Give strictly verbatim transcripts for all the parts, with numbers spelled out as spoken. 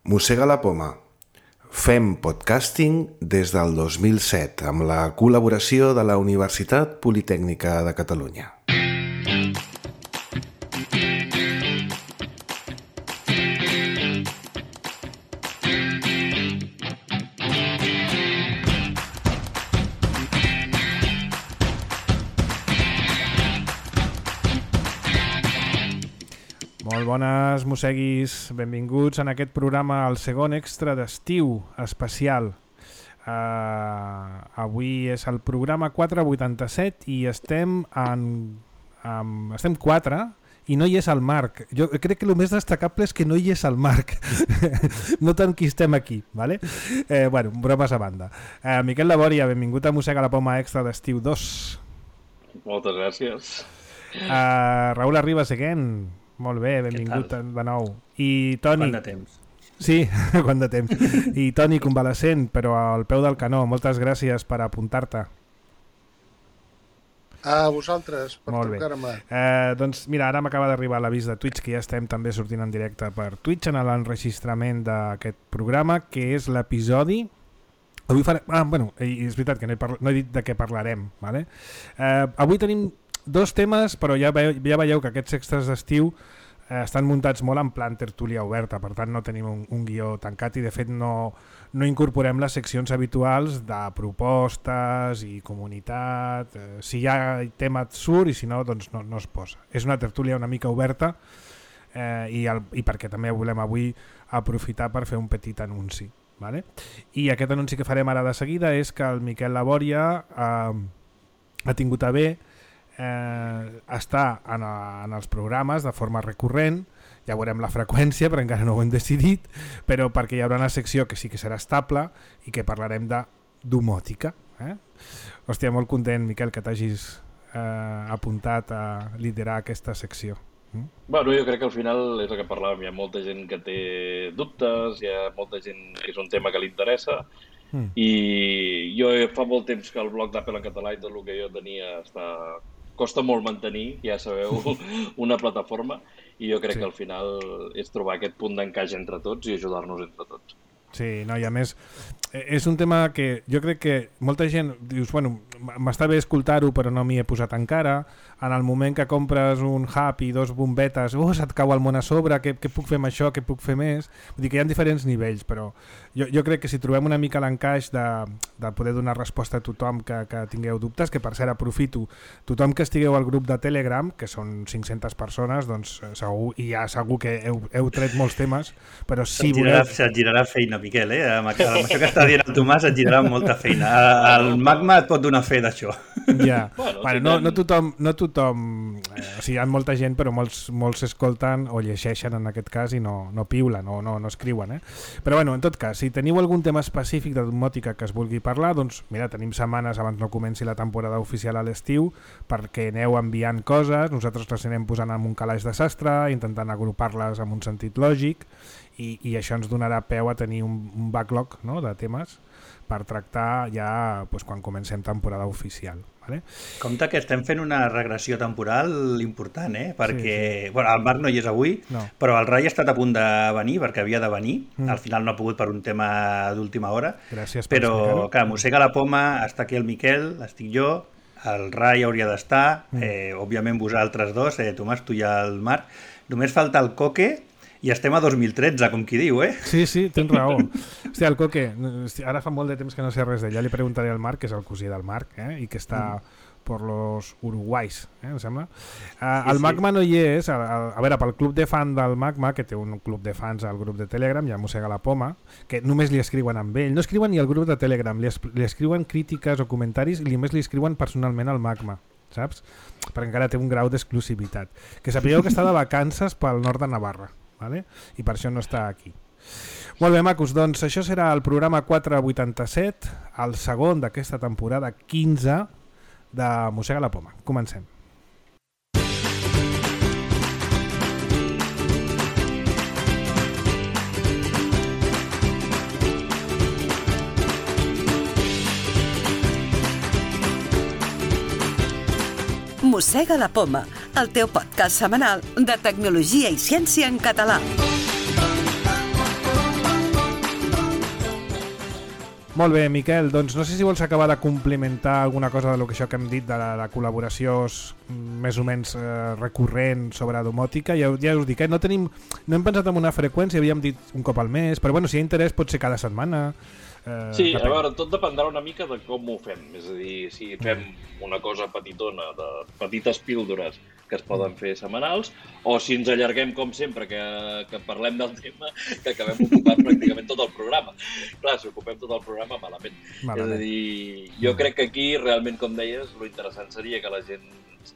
Mossega la poma. Fem podcasting des del dos mil set amb la col·laboració de la Universitat Politècnica de Catalunya. Molt bones, mosseguis. Benvinguts en aquest programa, el segon extra d'estiu especial. Uh, avui és el programa quatre vuitanta-set i estem en, en, estem quatre i no hi és el Marc. Jo crec que el més destacable és que no hi és el Marc. No tant qui estem aquí, ¿vale? Eh, bueno, bromes a banda. Uh, Miquel Labòria, benvingut a Mossega la Poma extra d'estiu dos. Moltes gràcies. Uh, Raül Arribas again. Molt bé, benvingut de nou. I Toni... Quant de temps? Sí, quant de temps. I Toni, convalescent, però al peu del canó. Moltes gràcies per apuntar-te. A vosaltres, per trucar-me. Eh, doncs mira, ara m'acaba d'arribar l'avís de Twitch, que ja estem també sortint en directe per Twitch en l'enregistrament d'aquest programa, que és l'episodi... Avui farem... Ah, bueno, és veritat que no he, parla... no he dit de què parlarem, ¿vale? Eh, avui tenim dos temes, però ja veieu, ja veieu que aquests extras d'estiu eh, estan muntats molt en plan tertúlia oberta, per tant no tenim un, un guió tancat i de fet no, no incorporem les seccions habituals de propostes i comunitat. Eh, si hi ha tema et surt i si no, doncs no, no es posa. És una tertúlia una mica oberta eh, i, el, i perquè també volem avui aprofitar per fer un petit anunci. ¿Vale? I aquest anunci que farem ara de seguida és que el Miquel Labòria eh, ha tingut a bé Eh, està en, a, en els programes de forma recurrent, ja veurem la freqüència però encara no ho hem decidit, però perquè hi haurà una secció que sí que serà estable i que parlarem de domòtica. Eh? Hòstia, molt content, Miquel, que t'hagis eh, apuntat a liderar aquesta secció. Mm? Bueno, jo crec que al final és el que parlàvem, hi ha molta gent que té dubtes, hi ha molta gent que és un tema que li interessa, mm. i jo fa molt temps que el blog d'Apple en català i tot el que jo tenia està... costa molt mantenir, ja sabeu, una plataforma, i jo crec sí. que al final és trobar aquest punt d'encaix entre tots i ajudar-nos entre tots. Sí, no, i a més és un tema que jo crec que molta gent dius, bueno, m'està bé escoltar-ho però no m'hi he posat encara. En el moment que compres un hub i dos bombetes, oh, se't cau el món a sobre, què, què puc fer amb això, què puc fer més? Vull dir que hi ha diferents nivells, però jo, jo crec que si trobem una mica l'encaix de, de poder donar resposta a tothom que, que tingueu dubtes, que per cert aprofito, tothom que estigueu al grup de Telegram, que són cinc-centes persones, doncs segur, i ja segur que heu, heu tret molts temes, però si se't girarà, voleu... Se't girarà feina, Miquel, eh? Amb, amb això que està dient el Tomàs et girarà molta feina. El Magma et pot donar fe d'això. Ja, bueno, bueno, no, no tothom, no tothom eh, o sigui, hi ha molta gent però molts, molts s'escolten o llegeixen en aquest cas i no, no piulen o no, no escriuen, eh? Però bueno, en tot cas, si teniu algun tema específic de domòtica que es vulgui parlar, doncs mira, tenim setmanes abans no comenci la temporada oficial a l'estiu perquè aneu enviant coses, nosaltres les anem posant en un calaix de sastre, intentant agrupar-les en un sentit lògic i, i això ens donarà peu a tenir un, un backlog, no?, de temes per tractar ja doncs, quan comencem temporada oficial. Vale? Compte que estem fent una regressió temporal important, eh? Perquè sí, sí. Bueno, el Marc no hi és avui, no. Però el Rai ha estat a punt de venir perquè havia de venir, mm. al final no ha pogut per un tema d'última hora. Gràcies per però explicar-ho. clar, Mossega la Poma, està aquí el Miquel, estic jo, el Rai hauria d'estar, mm. eh, òbviament vosaltres dos, eh, Tomàs, tu i el Marc, només falta el Coque. I estem a dos mil tretze, com qui diu, eh? Sí, sí, tens raó. Hòstia, el Coque, ara fa molt de temps que no sé res d'ell. Ja li preguntaré al Marc, que és el cosí del Marc, eh? I que està mm. per los Uruguais, eh? Em sembla. Uh, sí, el Magma sí. no hi és. A, a, a veure, pel club de fan del Magma, que té un club de fans al grup de Telegram, ja Mossega la Poma, que només li escriuen amb ell. No escriuen ni al grup de Telegram, li, es, li escriuen crítiques o comentaris i només li escriuen personalment al Magma, saps? Perquè encara té un grau d'exclusivitat. Que sapigueu que està de vacances pel nord de Navarra. Vale? I per això no està aquí. Molt bé, macos, doncs això serà el programa quatre vuitanta-set, el segon d'aquesta temporada quinze de Mossega la Poma. Comencem. Mossega la Poma, el teu podcast setmanal de tecnologia i ciència en català. Molt bé, Miquel, doncs no sé si vols acabar de complementar alguna cosa de lo que això que hem dit de la, la col·laboració més o menys eh, recurrent sobre domòtica. Ja, ja us dic, eh, no, tenim, no hem pensat en una freqüència, havíem dit un cop al mes, però bueno, si hi ha interès pot ser cada setmana. Eh, sí, a veure, tot dependrà una mica de com ho fem. És a dir, si fem una cosa petitona, de petites píldores que es poden fer setmanals, o si ens allarguem com sempre, que, que parlem del tema, que acabem ocupant pràcticament tot el programa. Clar, si ocupem tot el programa, malament. malament. És a dir, jo crec que aquí, realment, com deies, lo interessant seria que la gent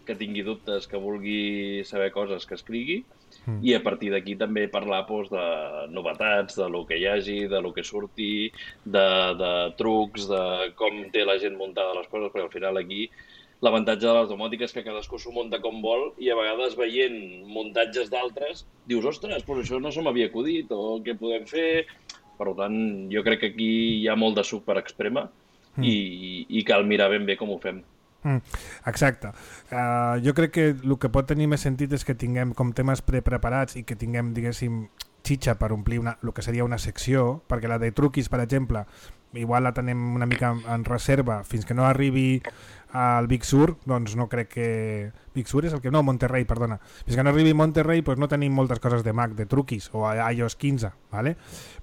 que tingui dubtes, que vulgui saber coses, que escrigui, mm. i a partir d'aquí també parlar doncs, de novetats, de lo que hi hagi, de lo que surti, de, de trucs, de com té la gent muntada les coses, perquè al final aquí l'avantatge de les domòtiques és que cadascú s'ho munta com vol i a vegades veient muntatges d'altres dius, ostres, però això no se m'havia acudit o què podem fer? Per tant, jo crec que aquí hi ha molt de suc per exprema mm. i, i cal mirar ben bé com ho fem. Mm, exacte. Uh, jo crec que el que pot tenir més sentit és que tinguem com temes prepreparats i que tinguem, diguéssim, xitxa per omplir una, el que seria una secció, perquè la de truquis, per exemple, igual la tenem una mica en reserva fins que no arribi al Big Sur, doncs no crec que... Big Sur és el que... No, Monterrey, perdona. Fins que no arribi Monterrey doncs no tenim moltes coses de Mac, de truquis, o i O S quinze, ¿vale?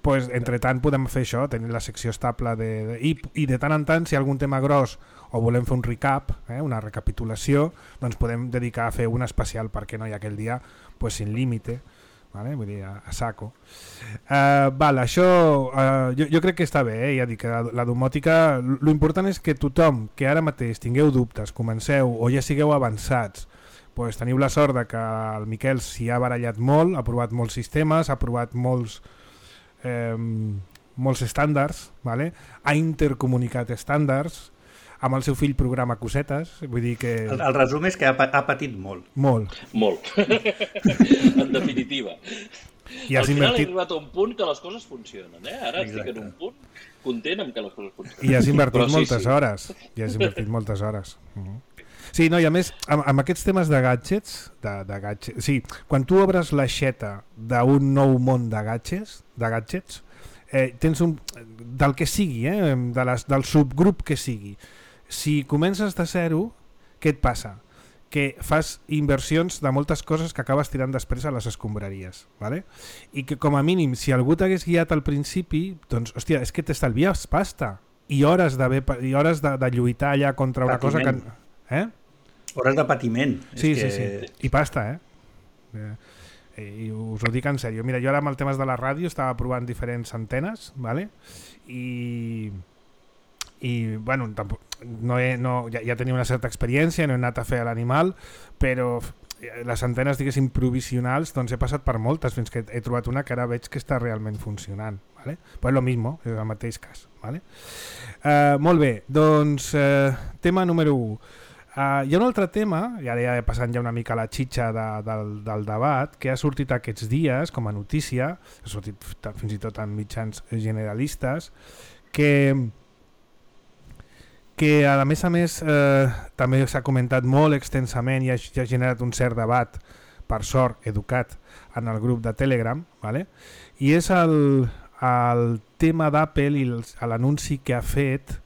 Pues, entre tant podem fer això, tenir la secció estable de, de, i, i de tant en tant, si hi ha algun tema gros o volem fer un recap, eh, una recapitulació, doncs podem dedicar a fer un especial perquè no hi ha aquell dia pues, sin límite, vale? Vull dir, a, a saco. Uh, val, això uh, jo, jo crec que està bé, eh? Ja dic que la, la domòtica, l'important és que tothom que ara mateix tingueu dubtes, comenceu o ja sigueu avançats, pues, teniu la sort de que el Miquel s'hi ha barallat molt, ha provat molts sistemes, ha provat molts eh, molts estàndards, vale? Ha intercomunicat estàndards, amb el seu fill programa cosetes, vull dir que... El, el resum és que ha, ha patit molt. Molt. Molt. En definitiva. I al final invertit... he arribat a un punt que les coses funcionen, eh? Ara Exacte. Estic en un punt content amb que les coses funcionen. I has invertit Però moltes sí, sí. hores. I has invertit moltes hores. Uh-huh. Sí, no, i a més, amb, amb aquests temes de gadgets, de, de gadgets, sí, quan tu obres l'aixeta d'un nou món de gadgets, de gadgets, eh, tens un... del que sigui, eh, de les, del subgrup que sigui. Si comences de zero, què et passa? Que fas inversions de moltes coses que acabes tirant després a les escombraries, ¿vale? I que com a mínim, si algú t'hagués guiat al principi, doncs, hòstia, és que t'estalvies pasta i hores de, i hores de, de lluitar allà contra una patiment. Cosa que... Eh? Hores de patiment. Sí, és sí, que... sí. I pasta, eh? eh? I us ho dic en sèrio. Mira, jo ara amb el temes de la ràdio estava provant diferents antenes, ¿vale? I... i bueno, tampoc, no he, no, ja, ja tenia una certa experiència, no he anat a fer a l'animal, però les antenes, diguéssim, provisionals, doncs he passat per moltes fins que he trobat una que ara veig que està realment funcionant, ¿vale? Pues lo mismo, és el mateix cas, ¿vale? Uh, molt bé, doncs uh, tema número u. Uh, hi ha un altre tema, i ara ja he passat ja una mica la xitxa de, del, del debat, que ha sortit aquests dies com a notícia, ha sortit fins i tot en mitjans generalistes, que que a més a més eh, també s'ha comentat molt extensament i ha, ha generat un cert debat, per sort, educat, en el grup de Telegram, ¿vale? I és el, el tema d'Apple i l'anunci que ha fet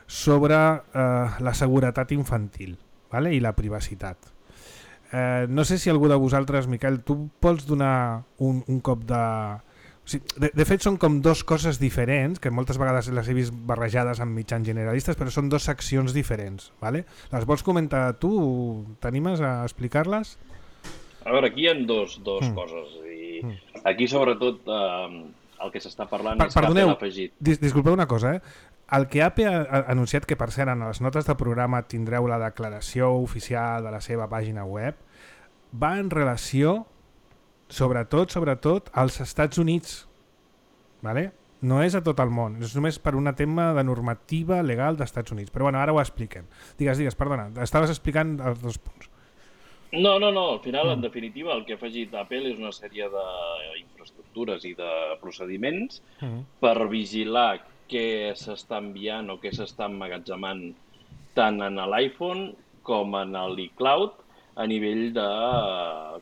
sobre eh, la seguretat infantil, ¿vale? I la privacitat. Eh, no sé si algú de vosaltres, Miquel, tu pots donar un, un cop de... O sigui, de, de fet són com dos coses diferents, que moltes vegades les he vist barrejades amb mitjans generalistes, però són dues seccions diferents, ¿vale? Les vols comentar tu? T'animes a explicar-les? A veure, aquí hi ha dos, dos mm. coses. I mm. aquí sobretot eh, el que s'està parlant per, és perdoneu, que Apple ha afegit... Dis, disculpeu una cosa, eh? El que Apple ha anunciat, que per cert en les notes de programa tindreu la declaració oficial de la seva pàgina web, va en relació... sobretot, sobretot als Estats Units, ¿vale? No és a tot el món, és només per un tema de normativa legal dels Estats Units, però bueno, ara ho expliquem. Digues, digues, perdona, estaves explicant els dos punts. No, no, no, al final, mm. en definitiva, el que ha afegit Apple és una sèrie d'infraestructures i de procediments mm. per vigilar què s'està enviant o què s'està emmagatzemant tant en l'iPhone com en l'iCloud, a nivell de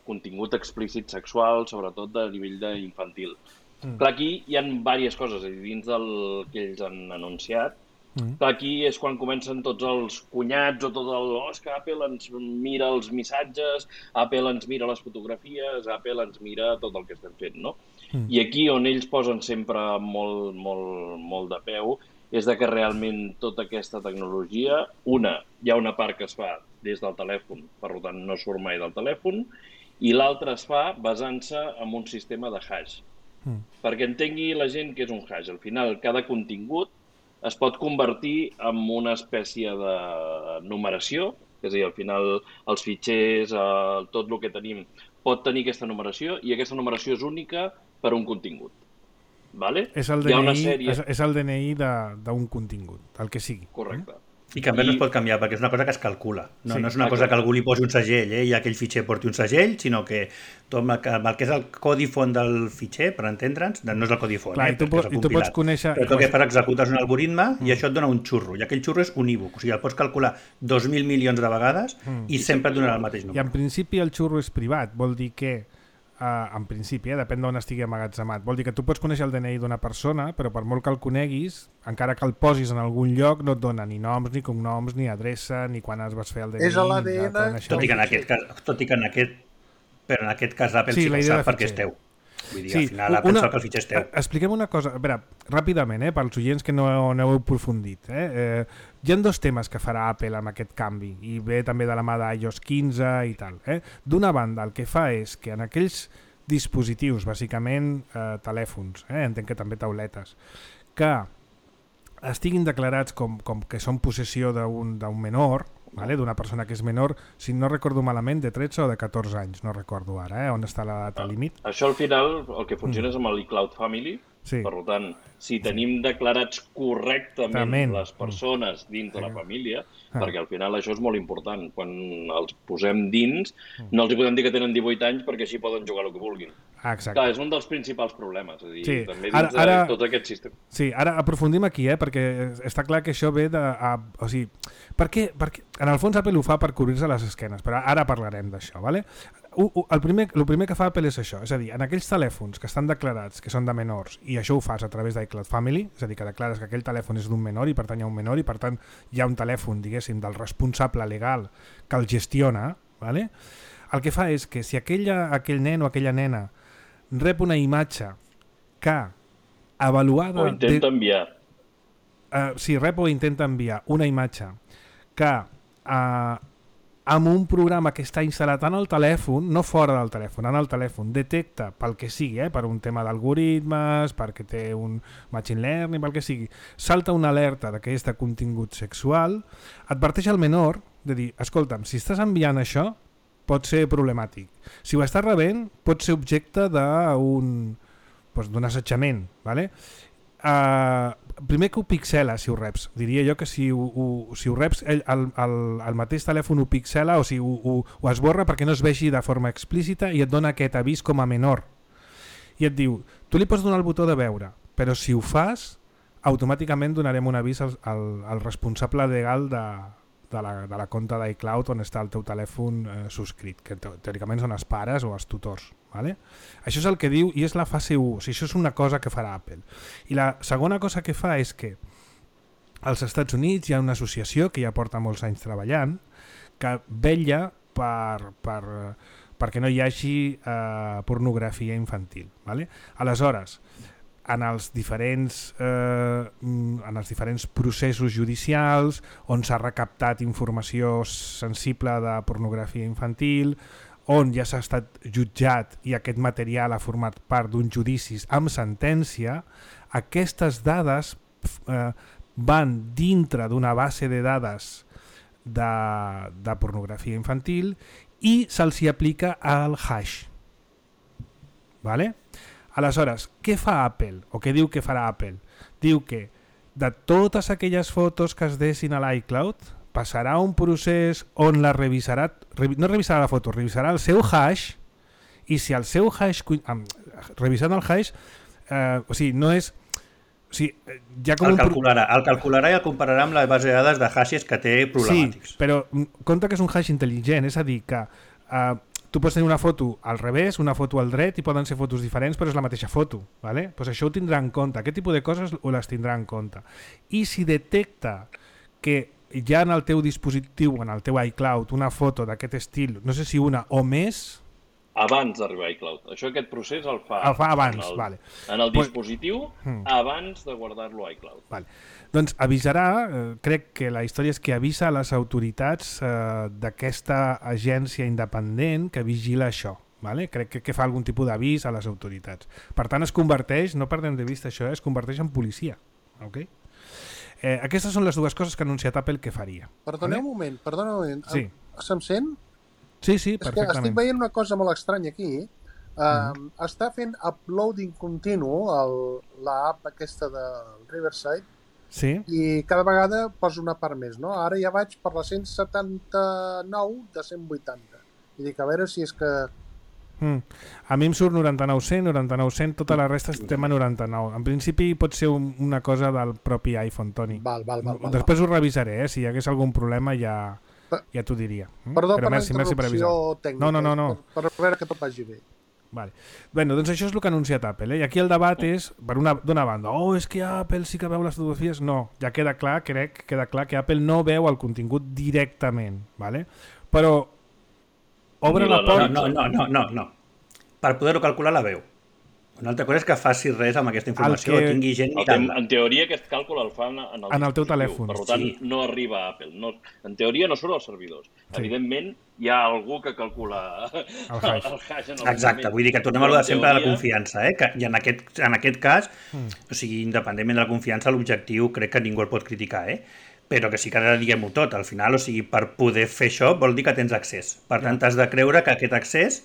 contingut explícit sexual, sobretot a nivell d'infantil. Mm. Clar, aquí hi ha diverses coses, és a dir, dins del que ells han anunciat. Mm. Clar, aquí és quan comencen tots els cunyats o tot el... Oh, és que Apple ens mira els missatges, Apple ens mira les fotografies, Apple ens mira tot el que estem fent, no? Mm. I aquí on ells posen sempre molt, molt, molt de peu és de que realment tota aquesta tecnologia, una, hi ha una part que es fa des del telèfon, per tant no surt mai del telèfon, i l'altra es fa basant-se en un sistema de hash. Mm. Perquè entengui la gent que és un hash. Al final, cada contingut es pot convertir en una espècie de numeració, és a dir, al final els fitxers, eh, tot el que tenim, pot tenir aquesta numeració i aquesta numeració és única per un contingut. Vale? És el D N I, sèrie... és, és el D N I d'un contingut, el que sigui. Correcte. I que a més I... no es pot canviar, perquè és una cosa que es calcula. No, sí, no és una exacte. cosa que algú li posi un segell, eh, i aquell fitxer porti un segell, sinó que tot el que és el codi font del fitxer, per entendre'ns, no és el codi font, Clar, eh, i tu, pots, i tu pots conèixer... Però tot que per executes un algoritme mm. i això et dona un xurro, i aquell xurro és unívoc, o sigui, el pots calcular dos mil milions de vegades mm. i sempre et donarà el mateix número. I en principi el xurro és privat, vol dir que Uh, en principi, eh, depèn d'on estigui emmagatzemat. Vol dir que tu pots conèixer el D N I d'una persona, però per molt que el coneguis, encara que el posis en algun lloc, no et dona ni noms, ni cognoms, ni adreça, ni quan es vas fer el D N I. És a l'A D N... Tot i que en aquest cas, tot i que en aquest, però en aquest cas Apple sí, sí que sap perquè és teu. Vull dir, sí, al final Apple sap que el fitxer és teu. Expliquem una cosa, a veure, ràpidament, eh, pels oients que no, no heu aprofundit. Eh? Eh, hi ha dos temes que farà Apple amb aquest canvi, i ve també de la mà d'iOS quinze i tal. Eh? D'una banda, el que fa és que en aquells dispositius, bàsicament eh, telèfons, eh, entenc que també tauletes, que estiguin declarats com, com que són possessió d'un menor, vale? D'una persona que és menor, si no recordo malament, de tretze o de catorze anys, no recordo ara, eh, on està la data límit. Això al final el que funciona mm. és amb l'iCloud Family, sí. Per tant, si tenim declarats correctament Tament. les persones dins de la família, ah. perquè al final això és molt important, quan els posem dins, no els hi podem dir que tenen divuit anys perquè així poden jugar el que vulguin. Ah, exacte. Clar, és un dels principals problemes, és a dir, sí. també dins ara, ara, de tot aquest sistema. Sí, ara aprofundim aquí, eh, perquè està clar que això ve de... A, o sigui, per què, perquè en el fons Apple ho fa per cobrir-se les esquenes, però ara parlarem d'això, vale? El primer, el primer que fa Apple és això, és a dir, en aquells telèfons que estan declarats que són de menors, i això ho fas a través d'iCloud Family, és a dir, que declares que aquell telèfon és d'un menor i pertany a un menor, i per tant hi ha un telèfon, diguéssim, del responsable legal que el gestiona, vale? El que fa és que si aquella, aquell nen o aquella nena rep una imatge que avaluada... O intenta enviar. Uh, sí, rep o intenta enviar una imatge que... Uh, amb un programa que està instal·lat en el telèfon, no fora del telèfon, en el telèfon, detecta pel que sigui, eh, per un tema d'algoritmes, perquè té un machine learning, pel que sigui, salta una alerta de que és de contingut sexual, adverteix al menor de dir, escolta'm, si estàs enviant això, pot ser problemàtic. Si ho estàs rebent, pot ser objecte d'un doncs, d'un assetjament, ¿vale? Uh, primer que ho pixela si ho reps, diria jo que si ho, ho, si ho reps el, el, el, el mateix telèfon ho pixela o si ho, ho, ho esborra perquè no es vegi de forma explícita i et dona aquest avís com a menor i et diu, tu li pots donar el botó de veure, però si ho fas automàticament donarem un avís al, al, al responsable legal de, de, la, de la compte d'iCloud on està el teu telèfon eh, subscrit, que teòricament són els pares o els tutors. Vale? Això és el que diu i és la fase u, o sigui, això és una cosa que farà Apple. I la segona cosa que fa és que als Estats Units hi ha una associació que ja porta molts anys treballant que vetlla per, per, perquè no hi hagi eh, pornografia infantil. Vale? Aleshores, en els diferents eh, en els diferents processos judicials on s'ha recaptat informació sensible de pornografia infantil, on ja s'ha estat jutjat i aquest material ha format part d'uns judicis amb sentència, aquestes dades eh, van dintre d'una base de dades de, de pornografia infantil i se'ls hi aplica el hash. Vale? Aleshores, què fa Apple? O què diu que farà Apple? Diu que de totes aquelles fotos que es dessin a l'iCloud passarà un procés on la revisarà, no revisarà la foto, revisarà el seu hash i si el seu hash, revisant el hash, eh, o sigui, no és... O sigui, ja com el, calcularà, el calcularà i el compararà amb la base de dades de hashes que té problemàtics. Sí, però compte que és un hash intel·ligent, és a dir, que eh, tu pots tenir una foto al revés, una foto al dret, i poden ser fotos diferents, però és la mateixa foto. ¿Vale? Pues això ho tindrà en compte. Aquest tipus de coses ho les tindrà en compte. I si detecta que hi ha en el teu dispositiu, en el teu iCloud, una foto d'aquest estil, no sé si una o més... Abans d'arribar a iCloud. Això, aquest procés el fa, el fa abans, en el, vale. en el Pues, dispositiu hmm. abans de guardar-lo a iCloud. Vale. Doncs avisarà, eh, crec que la història és que avisa a les autoritats eh, d'aquesta agència independent que vigila això. Vale? Crec que, que fa algun tipus d'avís a les autoritats. Per tant, es converteix, no perdem de vista això, eh, es converteix en policia. Okay? Eh, aquestes són les dues coses que ha anunciat Apple que faria. Perdoneu vale? un moment, perdoneu un moment. Sí. Se'm sent? Sí, sí, És que perfectament. estic veient una cosa molt estranya aquí. Uh, mm-hmm. Està fent uploading continu l'app aquesta de Riverside, sí. I cada vegada posa una part més, no? Ara ja vaig per la cent setanta-nou de cent vuitanta. I dic, a veure si és que... Mm. A mi em surt noranta-nou cent, noranta-nou cent, tota la resta estem a noranta-nou. En principi pot ser un, una cosa del propi iPhone, Toni. Val, val, val, val, Després val. Ho revisaré, eh? Si hi hagués algun problema ja, ja t'ho diria. Mm? Perdó Però per merci, la interrupció tècnica, no, no, no, no. Per, per veure que tot vagi bé. Vale. Bueno, doncs això és el que ha anunciat Apple, eh? I aquí el debat és, per una, d'una banda, oh, és que Apple sí que veu les fotografies. No, ja queda clar, crec, queda clar que Apple no veu el contingut directament, vale? Però obre la porta... No, no, no, no, no. Per poder-ho calcular la veu. Una altra cosa és que faci res amb aquesta informació que... o tingui gent mirant-la. En teoria aquest càlcul el fan en el, en el teu telèfon. Per tant, sí. no arriba a Apple. No, en teoria no surt als servidors. Sí. Evidentment, hi ha algú que calcula el hash. El hash en el Exacte, vull dir que tornem a lo de sempre teoria... de la confiança. Eh? Que, I en aquest, en aquest cas, mm. o sigui, independentment de la confiança, l'objectiu crec que ningú el pot criticar, eh? Però que sí que ara diguem-ho tot. Al final, o sigui, per poder fer això vol dir que tens accés. Per tant, has de creure que aquest accés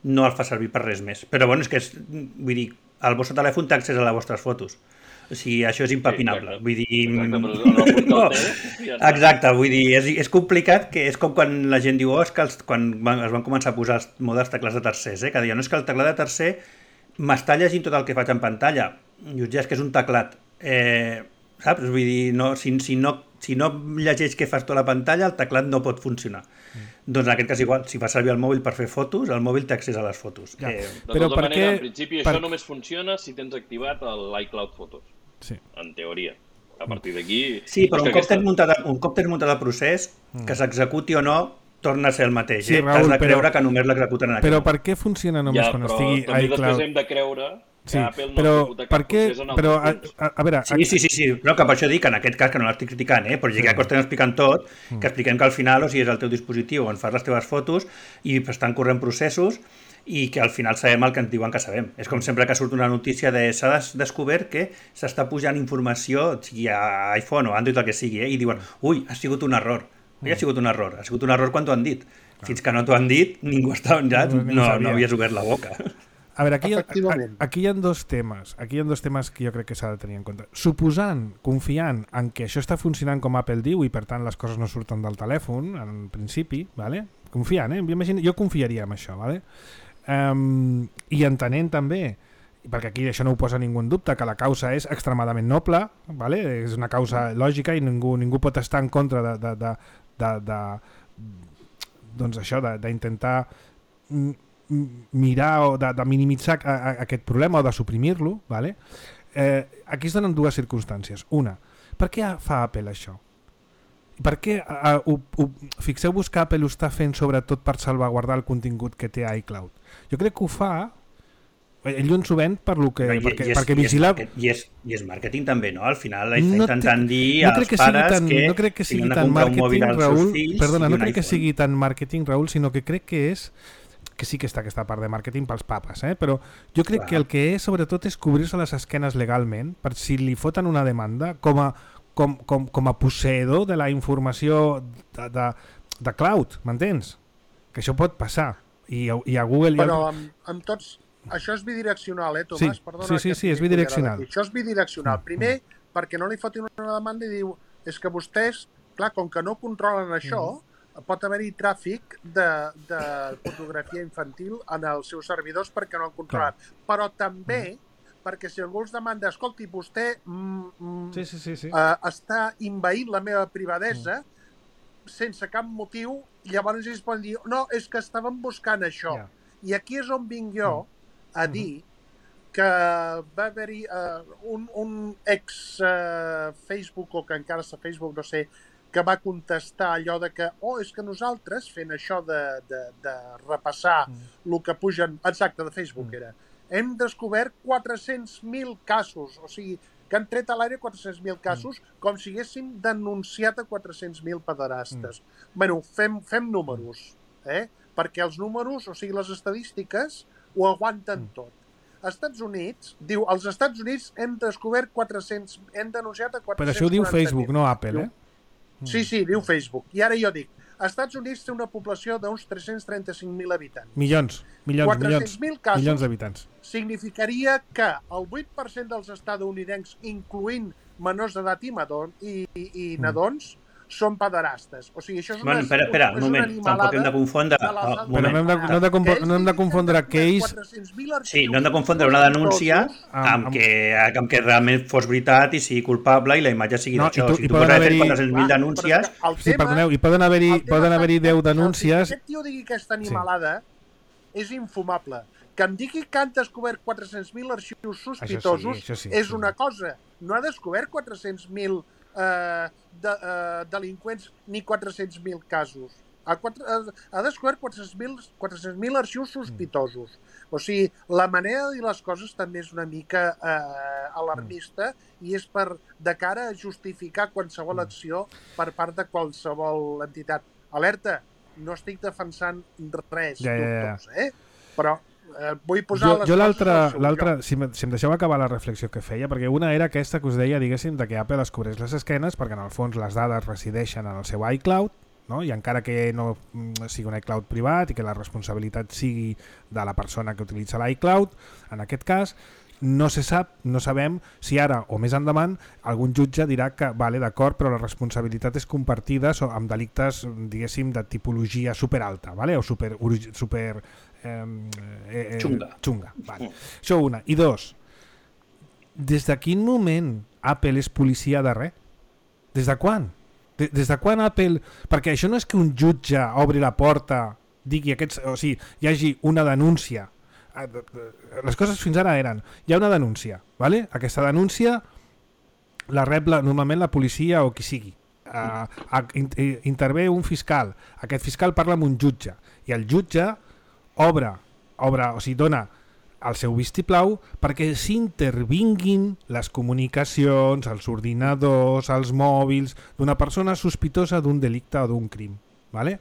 no el fa servir per res més. Però bueno, és que és, vull dir, el vostre telèfon té accés a les vostres fotos. O sigui, això és impepinable. Sí, vull dir... Exacte, no, ja exacte, vull dir, és, és complicat, que és com quan la gent diu, oh, és que els, quan van, es van començar a posar els modes teclats de tercers, eh? Que deien, no, és que el teclat de tercer m'està llegint tot el que faig en pantalla. I ja és que és un teclat. Eh, saps? Vull dir, no, si, si, no, si no llegeix què fas tu a la pantalla, el teclat no pot funcionar. Mm. Doncs en aquest cas igual, si fa servir el mòbil per fer fotos, el mòbil té accés a les fotos. Ja. Eh, de Però tota per manera, què... en principi, per... això només funciona si tens activat l'iCloud Photos. Sí. En teoria. A partir d'aquí... Sí, però un cop, aquesta... tens muntat, un cop tens muntat el procés, mm. que s'executi o no, torna a ser el mateix. Sí, eh? Raül, T'has de creure però... que només l'executen en aquest Però moment. per què funciona només ja, quan però estigui també iCloud? després hem de creure que sí, Apple no però ha executat per cap què... procés en però, a, altres a, a veure... Sí, sí, sí, sí, però que per això dic que en aquest cas, que no l'estic criticant, eh? Però ja sí. que estem explicant tot, mm. que expliquem que al final, o sigui, és el teu dispositiu on fas les teves fotos i estan corrent processos i que al final sabem el que ens diuen que sabem. És com sempre que surt una notícia de s'ha des descobert que s'està pujant informació, sigui a iPhone o Android, el que sigui, eh? I diuen, ui, ha sigut un error. Mm. Ha sigut un error. Ha sigut un error quan t'ho han dit. Ah. Fins que no t'ho han dit, ningú està ja, no, no, no havies obert la boca. A veure, aquí, aquí hi ha dos temes. Aquí hi ha dos temes que jo crec que s'ha de tenir en compte. Suposant, confiant en que això està funcionant com Apple diu i per tant les coses no surten del telèfon, en principi, vale? Confiant, eh? Jo, imagino, jo confiaria en això, vale? Um, i entenent també, perquè aquí això no ho posa ningú en dubte, que la causa és extremadament noble, vale? És una causa lògica i ningú, ningú pot estar en contra de, de, de, de, de doncs això, d'intentar mirar o de, de minimitzar a, a, aquest problema o de suprimir-lo, vale? eh, aquí es donen dues circumstàncies. Una, per què fa Apple això? Per què, a, a, a, fixeu-vos que Apple ho està fent sobretot per salvaguardar el contingut que té iCloud. Jo crec que ho fa, ell ens ho ven per lo que, I, perquè, i és, perquè vigila... I és, i, és, I és màrqueting també, no? Al final està no intentant dir no als que pares tan, que, no crec que sigui si tan marketing, Raül, fills, perdona, no crec iPhone. que sigui tan marketing, Raül, sinó que crec que és que sí que està aquesta part de màrqueting pels papes, eh? Però jo crec Clar. que el que és sobretot és cobrir-se les esquenes legalment per si li foten una demanda com a, com, com, com a posseïdor de la informació de, de, de cloud, m'entens? Que això pot passar i, i a Google... Però amb, amb tots... Això és bidireccional, eh, Tomàs? Sí, Perdona, sí, sí, sí és bidireccional. Això és bidireccional. Primer, mm. perquè no li fotin una demanda i diu és que vostès, clar, com que no controlen això, mm. pot haver-hi tràfic de, de fotografia infantil en els seus servidors perquè no han controlat. Clar. Però també mm. perquè si algú els demanda, escolti, vostè mm, mm, sí, sí, sí, sí. Uh, està invaint la meva privadesa, mm. sense cap motiu, llavors ells poden dir no, és que estàvem buscant això. Yeah. I aquí és on vinc jo a dir que va haver-hi uh, un, un ex uh, Facebook, o que encara està Facebook, no sé, que va contestar allò de que oh, és que nosaltres fent això de, de, de repassar mm. el que pugen, exacte, de Facebook mm. era, hem descobert quatre-cents mil casos, o sigui, que han tret a l'aire quatre-cents mil casos mm. com si haguessin denunciat a quatre-cents mil pederastes. Mm. Bueno, fem, fem números, eh? Perquè els números, o sigui, les estadístiques, ho aguanten mm. tot. Als Estats Units, diu, als Estats Units hem descobert quatre-cents, hem denunciat a quatre-cents quaranta mil. Però això ho diu Facebook, no Apple, eh? Sí, sí, diu Facebook. I ara jo dic, als Estats Units té una població d'uns tres-cents trenta-cinc mil habitants. Milions, milions, quatre-cents mil casos milions d'habitants. Significaria que el vuit per cent dels estatunidencs, incloent menors d'edat i, i, i, i nadons, mm. són pederastes. O sigui, això és una, bueno, espera, espera, un moment, tampoc hem de confondre... De oh, Però no hem de, no hem de, compor, no hem de confondre que ells... Sí, no hem de confondre una denúncia amb, amb, que, amb que realment fos veritat i sigui culpable i la imatge sigui no, d'això. O sigui, tu pots haver quatre-cents mil denúncies... Sí, perdoneu, i poden haver-hi poden haver-hi deu denúncies... Que aquest tio digui aquesta animalada sí. és infumable. Que em digui que han descobert quatre-cents mil arxius sospitosos sí, sí, és una cosa. No ha descobert quatre-cents mil Uh, de, uh, delinqüents ni quatre-cents mil casos. Ha, quatre, uh, ha descobert quatre-cents mil arxius sospitosos. O sigui, la manera de dir les coses també és una mica uh, alarmista i és per de cara a justificar qualsevol acció per part de qualsevol entitat. Alerta, no estic defensant res, ja, ja, doctors, eh? Però Eh, vull posar jo, jo l'altra, si, si em deixeu acabar la reflexió que feia, perquè una era aquesta que us deia, diguéssim, de que Apple es cobreix les esquenes perquè en el fons les dades resideixen en el seu iCloud, no? I encara que no sigui un iCloud privat i que la responsabilitat sigui de la persona que utilitza l'iCloud, en aquest cas no se sap, no sabem si ara o més endavant algun jutge dirà que vale, d'acord, però la responsabilitat és compartida amb delictes, diguéssim, de tipologia superalta, vale? O super, super eh, eh, xunga. xunga vale. Això una. I dos, des de quin moment Apple és policia de res? Des de quan? Des de quan Apple... Perquè això no és que un jutge obri la porta, digui aquests, o sigui, hi hagi una denúncia. Les coses fins ara eren, hi ha una denúncia, ¿vale? Aquesta denúncia la rep la, normalment la policia o qui sigui. Uh, intervé un fiscal, aquest fiscal parla amb un jutge i el jutge obre, obre o sigui, dona el seu vistiplau perquè s'intervinguin les comunicacions, els ordinadors, els mòbils d'una persona sospitosa d'un delicte o d'un crim, ¿vale?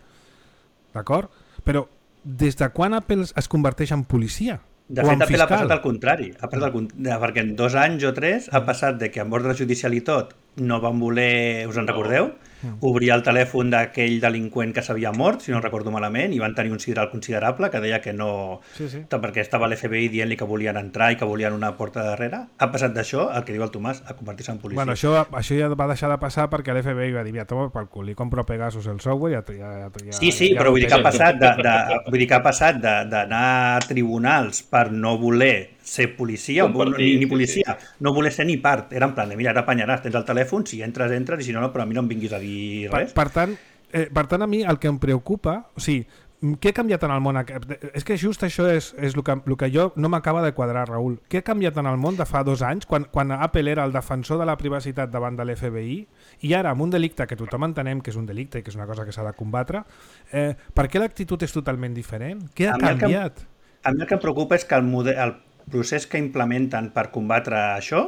D'acord? Però des de quan Apple es converteix en policia? De fet, Apple ha passat al contrari, ha passat al contrari, perquè en dos anys o tres ha passat de que amb ordre judicial i tot no van voler, us en recordeu? Mm. Obrir el telèfon d'aquell delinqüent que s'havia mort, si no recordo malament, i van tenir un sideral considerable que deia que no... Sí, sí. Perquè estava l'F B I dient-li que volien entrar i que volien una porta darrere. Ha passat d'això, el que diu el Tomàs, a convertir-se en policia. Bueno, això, això ja va deixar de passar perquè l'F B I va dir, ja toma pel cul, li compro a Pegasus el software i ja, ja, ja... Sí, sí, ja, però vull dir que ha passat de, de, vull dir que ha passat d'anar a tribunals per no voler ser policia, o ni, ni policia, sí, sí. no voler ser ni part. Era en plan de, mira, ara apanyaràs, tens el telèfon, si entres, entres, i si no, no, però a mi no em vinguis a dir res. Per, per, tant, eh, per tant, a mi el que em preocupa, o sigui, què ha canviat en el món? És que just això és, és el, que, el que jo no m'acaba de quadrar, Raül. Què ha canviat en el món de fa dos anys, quan, quan Apple era el defensor de la privacitat davant de l'F B I, i ara amb un delicte que tothom entenem que és un delicte i que és una cosa que s'ha de combatre, eh, per què l'actitud és totalment diferent? Què ha a canviat? Mi que, a mi el que em preocupa és que el, model, el procés que implementen per combatre això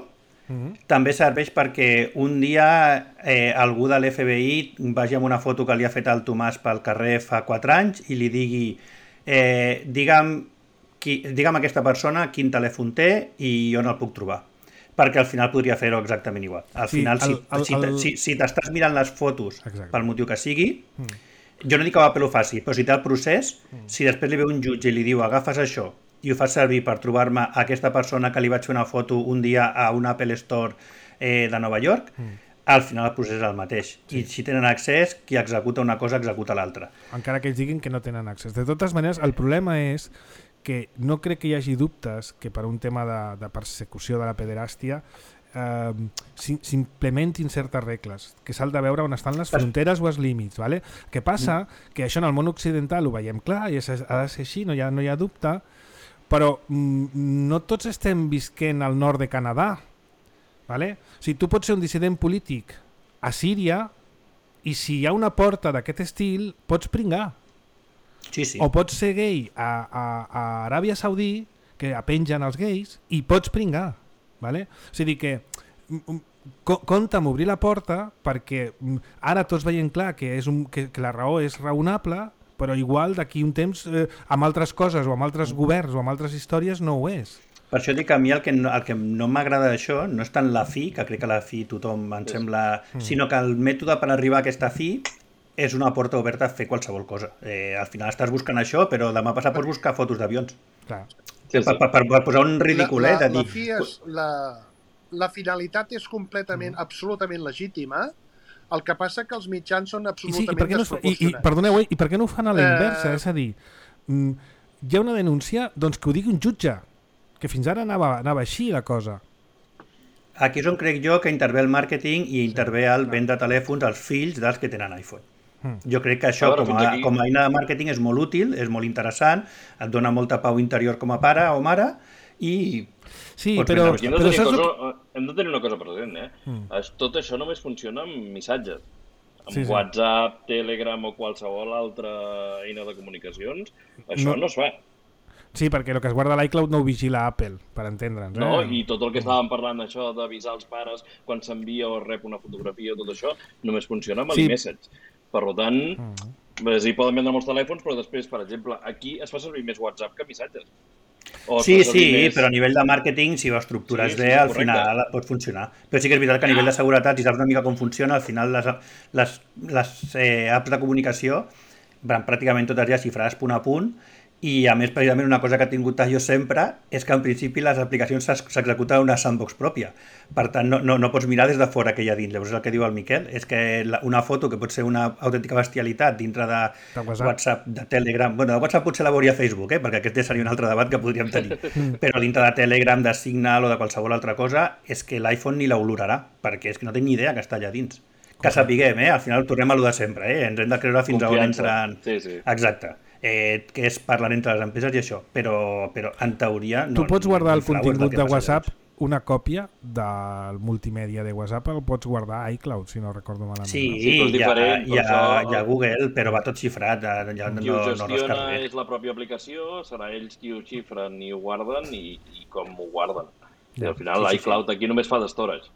mm-hmm. també serveix perquè un dia eh, algú de l'F B I vagi amb una foto que li ha fet el Tomàs pel carrer fa quatre anys i li digui eh, digue'm, qui, digue'm aquesta persona quin telèfon té i on el puc trobar. Perquè al final podria fer-ho exactament igual. Al sí, final, el, el, si, el... si, si t'estàs mirant les fotos Exacte. Pel motiu que sigui, mm. jo no dic que Apple ho faci, però si té el procés, mm. si després li ve un jutge i li diu agafes això i ho fas servir per trobar-me aquesta persona que li vaig fer una foto un dia a un Apple Store eh, de Nova York, mm. al final el procés és el mateix. Sí. I si tenen accés, qui executa una cosa executa l'altra. Encara que ells diguin que no tenen accés. De totes maneres, el problema és que no crec que hi hagi dubtes que per un tema de, de persecució de la pederàstia eh, s'implementin certes regles, que s'ha de veure on estan les fronteres o els límits. Vale? Què passa? Que això en el món occidental ho veiem clar i ha de ser així, no hi ha, no hi ha dubte, però mm, no tots estem visquent al nord de Canadà. Vale? O sigui, tu pots ser un dissident polític a Síria i si hi ha una porta d'aquest estil pots pringar. Sí, sí. O pots ser gay a, a, a Aràbia Saudí, que apengen els gais, i pots pringar. Vale? O sigui que co compta amb obrir la porta perquè ara tots veiem clar que, és un, que, que la raó és raonable, però igual d'aquí un temps eh, amb altres coses o amb altres governs o amb altres històries no ho és. Per això dic que a mi el que no, el que no m'agrada d'això no és tant la fi, que crec que la fi tothom em sembla... Mm. Sinó que el mètode per arribar a aquesta fi és una porta oberta a fer qualsevol cosa. Eh, al final estàs buscant això, però demà passat pots buscar fotos d'avions. Clar. Sí, sí. Per, per, per posar un ridícul, la, eh? De la, dir... la, fi és, la, la finalitat és completament, mm. absolutament legítima. El que passa que els mitjans són absolutament I sí, i no desproporcionats. I, i, perdoneu, eh, i per què no ho fan a la inversa? Eh... És a dir, hi ha una denúncia, doncs que ho digui un jutge, que fins ara anava, anava així la cosa. Aquí és on crec jo que intervé el màrqueting i intervé el vendre telèfons als fills dels que tenen iPhone. Mm. Jo crec que això, com a, com a eina de màrqueting, és molt útil, és molt interessant, et dona molta pau interior com a pare o mare, i... Sí, però... Aquí hem de, però cosa, que... hem de tenir una cosa present, eh? Mm. Tot això només funciona amb missatges. Amb sí, sí. WhatsApp, Telegram o qualsevol altra eina de comunicacions, això no, no es fa. Sí, perquè el que es guarda l'iCloud no ho vigila Apple, per entendre'ns. Eh? No, i tot el que estàvem parlant, això d'avisar els pares quan s'envia o rep una fotografia, tot això, només funciona amb sí. l'iMessage. Per tant, mm. sí, poden vendre molts telèfons, però després, per exemple, aquí es fa servir més WhatsApp que missatges. O sí, sí, més... però a nivell de màrqueting, si ho estructures sí, bé, sí, al correcte. Final pot funcionar. Però sí que és veritat que a nivell de seguretat, si saps una mica com funciona, al final les, les, les eh, apps de comunicació van pràcticament totes ja xifrades punt a punt, i a més, precisament, una cosa que ha tingut jo sempre és que en principi les aplicacions s'executen en una sandbox pròpia. Per tant, no, no, no pots mirar des de fora que hi ha dins. Llavors, el que diu el Miquel és que una foto que pot ser una autèntica bestialitat dintre de, de WhatsApp. WhatsApp, de Telegram... Bueno, de WhatsApp potser la veuria Facebook, eh? Perquè aquest seria un altre debat que podríem tenir. Però dintre de Telegram, de Signal o de qualsevol altra cosa, és que l'iPhone ni l'olorarà, perquè és que no té ni idea que està allà dins. Que sapiguem, eh? Al final tornem a lo de sempre, eh? Ens hem de creure fins Confiança. a on entren... Sí, sí. Exacte. Eh, que és parlant entre les empreses i això, però, però en teoria... No, tu pots guardar no, el contingut de WhatsApp, una còpia del multimèdia de WhatsApp el pots guardar a iCloud, si no recordo malament. Sí, no? Sí, hi, ha, diferent, hi, ha, això... hi ha Google, però va tot xifrat. Ja qui no, ho gestiona no és la pròpia aplicació, serà ells qui ho xifren i ho guarden i, i com ho guarden. I al final sí, l'iCloud sí, sí. aquí només fa d'estorage.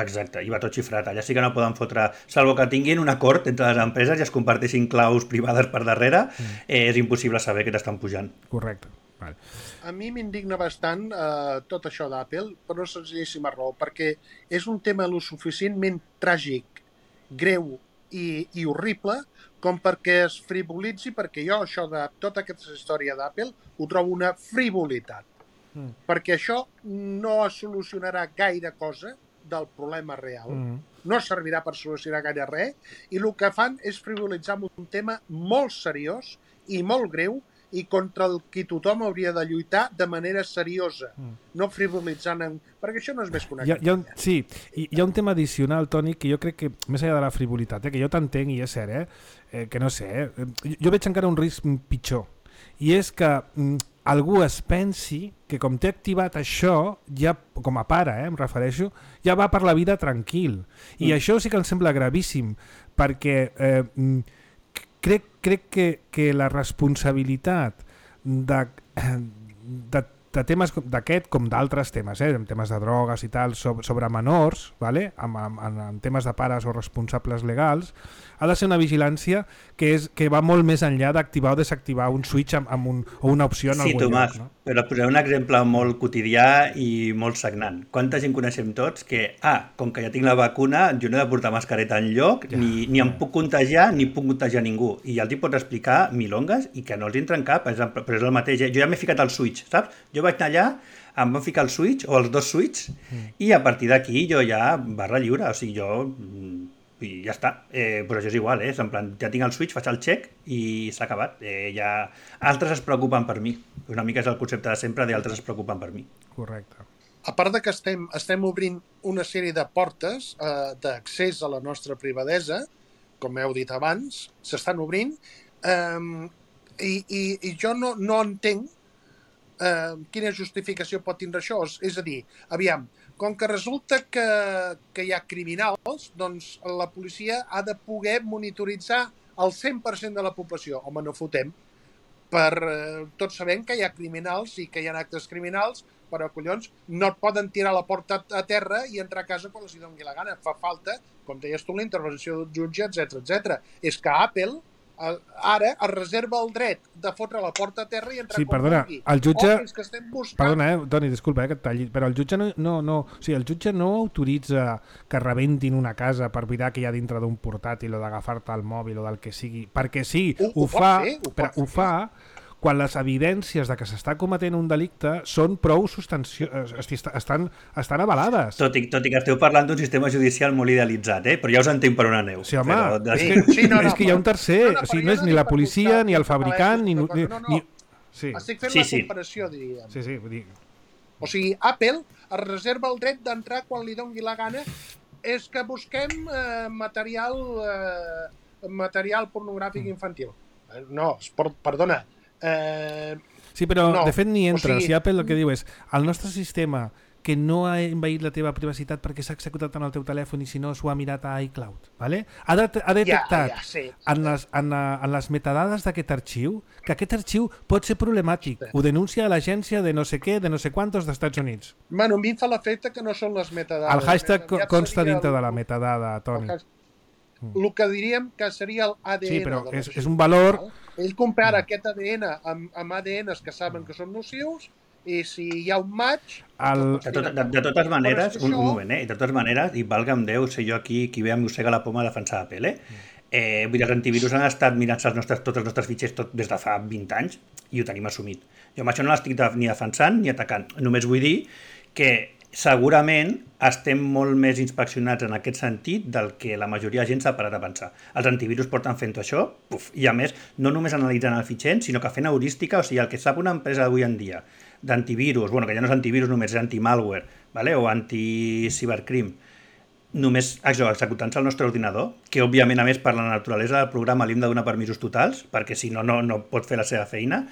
Exacte, i va tot xifrat. Allà sí que no poden fotre, salvo que tinguin un acord entre les empreses i es comparteixin claus privades per darrere, mm. eh, és impossible saber que t'estan pujant. Correcte. Vale. A mi m'indigna bastant eh, tot això d'Apple, per una senzillíssima raó, perquè és un tema lo suficientment tràgic, greu i, i horrible com perquè es frivolitzi, perquè jo això de tota aquesta història d'Apple ho trobo una frivolitat. Mm. Perquè això no solucionarà gaire cosa del problema real. Mm. No servirà per solucionar gaire res i el que fan és frivolitzar un tema molt seriós i molt greu i contra el que tothom hauria de lluitar de manera seriosa, mm. no frivolitzant en... perquè això no és més que una hi ha, hi ha un, sí, hi, hi ha un tema addicional, Toni, que jo crec que, més enllà de la frivolitat, eh, que jo t'entenc i és cert, eh, eh, que no sé, eh, jo veig encara un risc pitjor, i és que mm, algú es pensi que com té activat això, ja com a pare, eh, em refereixo, ja va per la vida tranquil. I mm. això sí que em sembla gravíssim, perquè eh, crec, crec que, que la responsabilitat de, de, de temes d'aquest com d'altres temes, eh, en temes de drogues i tal, sobre, sobre menors, vale? en, en, en temes de pares o responsables legals, ha de ser una vigilància que, és, que va molt més enllà d'activar o desactivar un switch amb, amb un, o una opció en sí, algun Tomàs, lloc. No? Però posaré un exemple molt quotidià i molt sagnant. Quanta gent coneixem tots que, ah, com que ja tinc la vacuna, jo no he de portar mascareta enlloc, ja, ni, ni em ja. puc contagiar, ni puc contagiar ningú. I ja els hi pots explicar milongues i que no els entra en cap, però és el mateix. Jo ja m'he ficat al switch, saps? Jo vaig anar allà, em van ficar el switch, o els dos switch, mm. i a partir d'aquí jo ja barra lliure, o sigui, jo... i ja està, eh, però això és igual, eh? En plan, ja tinc el switch, faig el check i s'ha acabat. Eh, ja... Altres es preocupen per mi. Una mica és el concepte de sempre de altres es preocupen per mi. Correcte. a part de que estem, estem obrint una sèrie de portes eh, d'accés a la nostra privadesa, com heu dit abans, s'estan obrint, eh, i, i, i jo no, no entenc eh, quina justificació pot tindre això. És a dir, aviam, com que resulta que, que hi ha criminals, doncs la policia ha de poder monitoritzar el cent per cent de la població. Home, no fotem. Per, eh, tots sabem que hi ha criminals i que hi ha actes criminals, però, collons, no et poden tirar la porta a terra i entrar a casa quan els hi doni la gana. Fa falta, com deies tu, la intervenció del jutge, etcètera, etcètera. És que Apple eh, ara es reserva el dret de fotre la porta a terra i entrar sí, quan perdona, vulgui. El jutge... O que estem buscant... Perdona, eh, Toni, disculpa eh, que et talli, però el jutge no, no, no, o sigui, el jutge no autoritza que rebentin una casa per mirar que hi ha dintre d'un portàtil o d'agafar-te el mòbil o del que sigui, perquè sí, ho, ho, ho fa, fer, ho, però ho fa quan les evidències de que s'està cometent un delicte són prou substancioses, estan, estan avalades. Tot i, tot i que esteu parlant d'un sistema judicial molt idealitzat, eh? Però ja us entenc per on aneu. Sí, home, però... és, que, sí, no, no, és que hi ha un tercer, no, no, o sigui, no és ni la policia, ni el fabricant, ni... No, no, no. ni... Sí. Estic fent sí, la sí. comparació, diríem. Sí, sí, vull dir... O sigui, Apple es reserva el dret d'entrar quan li doni la gana. És que busquem eh, material, eh, material pornogràfic infantil. No, perdona... Eh, sí, però no. de fet ni entra. O sigui, o sigui, Apple el que diu és el nostre sistema que no ha envaït la teva privacitat perquè s'ha executat en el teu telèfon i si no s'ho ha mirat a iCloud, ¿vale? ha, de, ha detectat ja, ja, sí. en, les, en, en les metadades d'aquest arxiu que aquest arxiu pot ser problemàtic. Sí. Ho denuncia a l'agència de no sé què, de no sé quantos d'Estats Units. Bueno, a mi em fa l'efecte que no són les metadades. El hashtag consta dintre el... de la metadada, Toni. El, el que diríem que seria el A D N. Sí, però és, és un valor... Ell compara aquest A D N amb, amb A D Ns que saben que són nocius i si hi ha un match... El... De, tot, de, de totes maneres, un, un moment, eh? De totes maneres, i valga'm Déu, sé jo aquí qui ve amb mossega la poma a defensar Apple, eh? Eh, vull dir, els antivirus han estat mirant els nostres, tots els nostres fitxers tot des de fa vint anys i ho tenim assumit. Jo amb això no l'estic ni defensant ni atacant. Només vull dir que segurament estem molt més inspeccionats en aquest sentit del que la majoria de gent s'ha parat a pensar. Els antivirus porten fent això, uf, i a més, no només analitzant el fitxer, sinó que fent heurística, o sigui, el que sap una empresa d'avui en dia d'antivirus, bueno, que ja no és antivirus, només és anti-malware, ¿vale? O anti-cibercrim, només això, executant-se al nostre ordinador, que òbviament, a més, per la naturalesa del programa li hem de donar permisos totals, perquè si no, no, no pot fer la seva feina,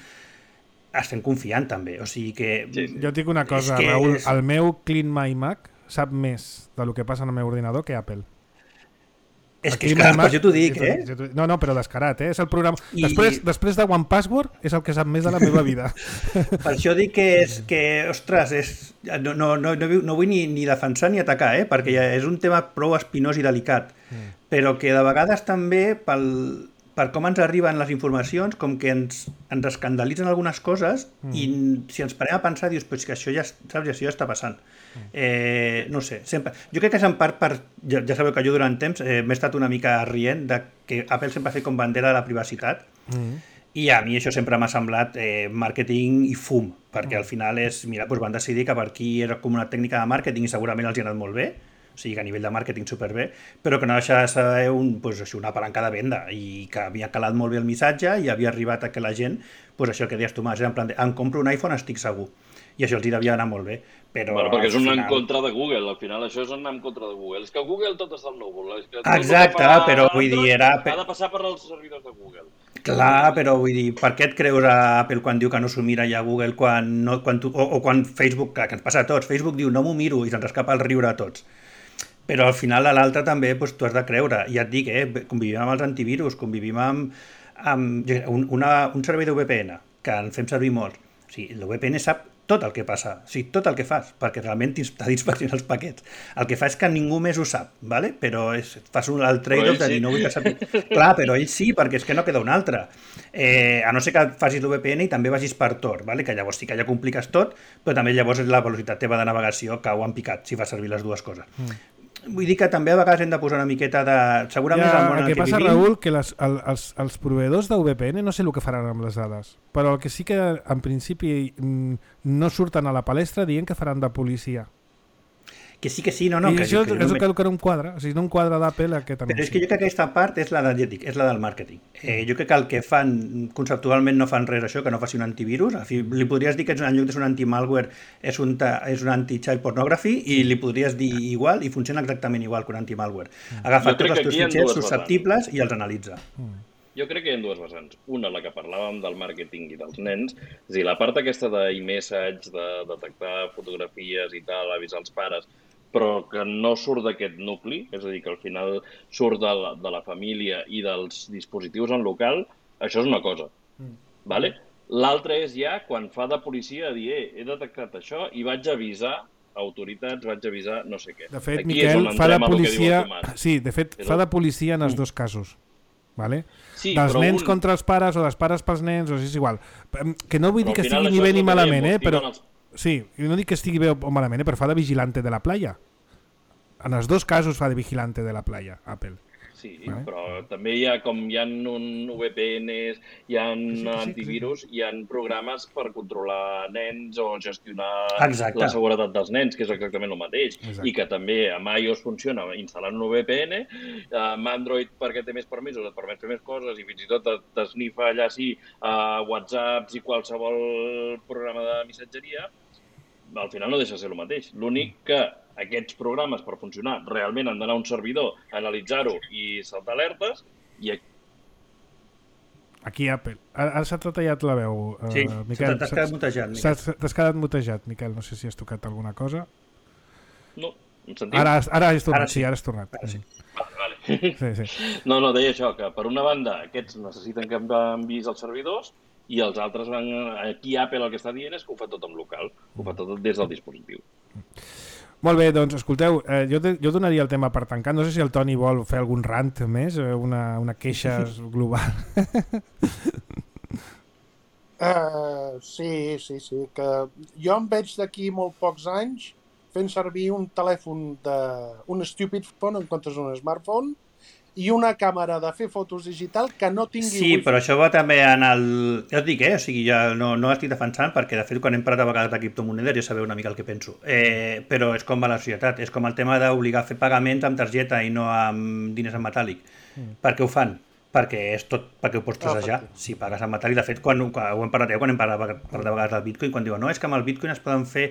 estem confiant també, o sigui que... Sí, sí. Jo et dic una cosa, que Raül, és... el meu Clean My Mac sap més del que passa en el meu ordinador que Apple. És que, és clar, per això t'ho dic, eh? No, no, però descarat, eh? És el programa... I... Després, després de One Password és el que sap més de la meva vida. Per això dic que, és, que ostres, és... no, no, no, no vull ni, ni defensar ni atacar, eh? Perquè ja és un tema prou espinós i delicat, mm. però que de vegades també pel... per com ens arriben les informacions, com que ens, ens escandalitzen algunes coses mm. i si ens parem a pensar, dius, però és que això ja, saps, això ja està passant. Mm. Eh, no sé, sempre... Jo crec que és en part per... Ja, ja sabeu que jo durant temps eh, m'he estat una mica rient de que Apple sempre ha fet com bandera de la privacitat mm. i a mi això sempre m'ha semblat eh, màrqueting i fum, perquè mm. al final és, mira, doncs van decidir que per aquí era com una tècnica de màrqueting i segurament els hi ha anat molt bé, o sigui que a nivell de màrqueting superbé, però que no deixa de ser un, pues, això, una palanca de venda i que havia calat molt bé el missatge i havia arribat a que la gent, pues, això que deies tu, Mas, era en plan de, em compro un iPhone, estic segur. I això els hi devia anar molt bé. Però, bueno, perquè és un final... anar en contra de Google, al final això és un anar en contra de Google. És que Google tot està al núvol. És que exacte, fa... però vull dir... Era... ha de passar per als servidors de Google. Clar, però vull dir, per què et creus a Apple quan diu que no s'ho mira ja a Google quan no, quan tu, o, o quan Facebook, que, que ens passa a tots, Facebook diu no m'ho miro i se'ns escapa el riure a tots. Però al final a l'altre també doncs, tu has de creure. Ja et dic, eh, convivim amb els antivirus, convivim amb, amb un, una, un servei de V P N, que en fem servir molt. O sigui, el V P N sap tot el que passa, o sigui, tot el que fas, perquè realment t'ha d'inspeccionar els paquets. El que fa és que ningú més ho sap, ¿vale? Però és, fas un, el trade-off de dir, sí. No vull que sàpiga. Clar, però ell sí, perquè és que no queda un altre. Eh, a no ser que facis l'U V P N i també vagis per Tor, ¿vale? Que llavors sí que ja compliques tot, però també llavors la velocitat teva de navegació cau en picat, si fas servir les dues coses. Mm. Vull dir que també a vegades hem de posar una miqueta de... Segurament ja, el món en el que, que passa, vivim... Raül, que les, el, els, els proveïdors de V P N no sé el que faran amb les dades, però el que sí que en principi no surten a la palestra dient que faran de policia. Que sí, que sí, no, no. I que, això que és no el que, que no un quadre. O sigui, no un quadre d'Apple aquest anunci. Però és que jo crec que aquesta part és la d'ètic, és la del màrqueting. Eh, jo crec que el que fan, conceptualment no fan res això, que no faci un antivirus. En fi, li podries dir que en lloc de ser un anti-malware és un, és un anti-child pornography i li podries dir igual i funciona exactament igual que un anti-malware. Agafa tots els teus fitxers susceptibles i els analitza. Mm. Jo crec que hi ha dues vessants. Una, la que parlàvem del màrqueting i dels nens, és a dir, la part aquesta d'iMessage, de detectar fotografies i tal, avisar els pares, però que no surt d'aquest nucli, és a dir, que al final surt de la, de la família i dels dispositius en local, això és una cosa. Mm. Vale? L'altra és ja quan fa de policia dir, eh, he detectat això i vaig avisar autoritats, vaig avisar no sé què. De fet, Aquí Miquel, fa de policia... Sí, de fet, és fa el... de policia en els mm. dos casos. Vale? Sí, dels nens un... contra els pares o dels pares pels nens, o sigui, és igual. Que no vull dir que estigui ni bé ni malament, eh? Però... Els... Sí, no dic que estigui bé o malament, eh? Però fa de vigilante de la playa. En els dos casos fa de vigilante de la playa, Apple. Sí, vale? Però també hi ha com hi ha un V P Ns, hi ha sí, sí, antivirus, sí, sí. Hi ha programes per controlar nens o gestionar Exacte. La seguretat dels nens, que és exactament el mateix. Exacte. I que també amb iOS funciona instal·lant un V P N, amb Android perquè té més permisos, et permet fer més coses i fins i tot t'esnifa allà sí a WhatsApps i qualsevol programa de missatgeria, al final no deixa de ser el mateix. L'únic que aquests programes, per funcionar, realment han d'anar a un servidor, analitzar-ho i saltar alertes, i aquí... Aquí Apple. Ara s'ha tallat la veu, uh, sí, Miquel. T'has quedat mutejat, Miquel. T'has quedat mutejat, Miquel. No sé si has tocat alguna cosa. No, em sentiu? Ara, ara has tornat, ara sí. sí, ara has tornat. Ara sí. Vale, vale. Sí, sí. No, no, deia això, que per una banda aquests necessiten que enviïs als servidors i els altres van... Aquí Apple el que està dient és que ho fa tot en local, ho fa tot des del dispositiu. Molt bé, doncs escolteu, eh, jo, te, jo donaria el tema per tancar. No sé si el Toni vol fer algun rant més, una, una queixa global. uh, sí, sí, sí. Que jo em veig d'aquí molt pocs anys fent servir un telèfon de... un stupid phone en comptes d'un smartphone i una càmera de fer fotos digital que no tingui sí, wifi. Però això va també en el... Ja us dic, eh? O sigui, ja no, no estic defensant perquè, de fet, quan hem parlat a vegades de criptomonedes ja sabeu una mica el que penso. Eh, però és com va la societat. És com el tema d'obligar a fer pagaments amb targeta i no amb diners en metàl·lic. Mm. Per què ho fan? Perquè és tot perquè ho pots trassejar. Oh, si pagues en metàl·lic, de fet, quan, quan ho hem parlat, eh, quan hem parlat, parlat de vegades del Bitcoin, quan diuen no, és que amb el Bitcoin es poden fer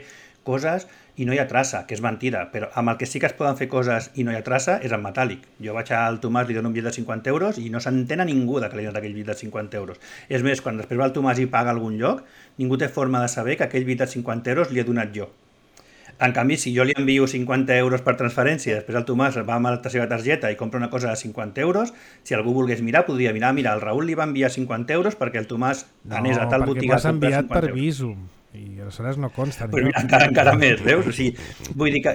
coses i no hi ha traça, que és mentida, però amb el que sí que es poden fer coses i no hi ha traça és en metàl·lic. Jo vaig al Tomàs, li dono un bitllet de cinquanta euros i no s'entén a ningú de que li dono aquell bitllet de cinquanta euros. És més, quan després va el Tomàs i paga a algun lloc, ningú té forma de saber que aquell bitllet de cinquanta euros li he donat jo. En canvi, si jo li envio cinquanta euros per transferència, després el Tomàs va amb la seva targeta i compra una cosa de cinquanta euros, si algú volgués mirar, podria mirar, mira, el Raül li va enviar cinquanta euros perquè el Tomàs anés a tal botiga a comprar cinquanta euros. No, perquè m'has enviat per Visum i aleshores no consta. Però encara, encara més, veus? O sigui, vull dir que...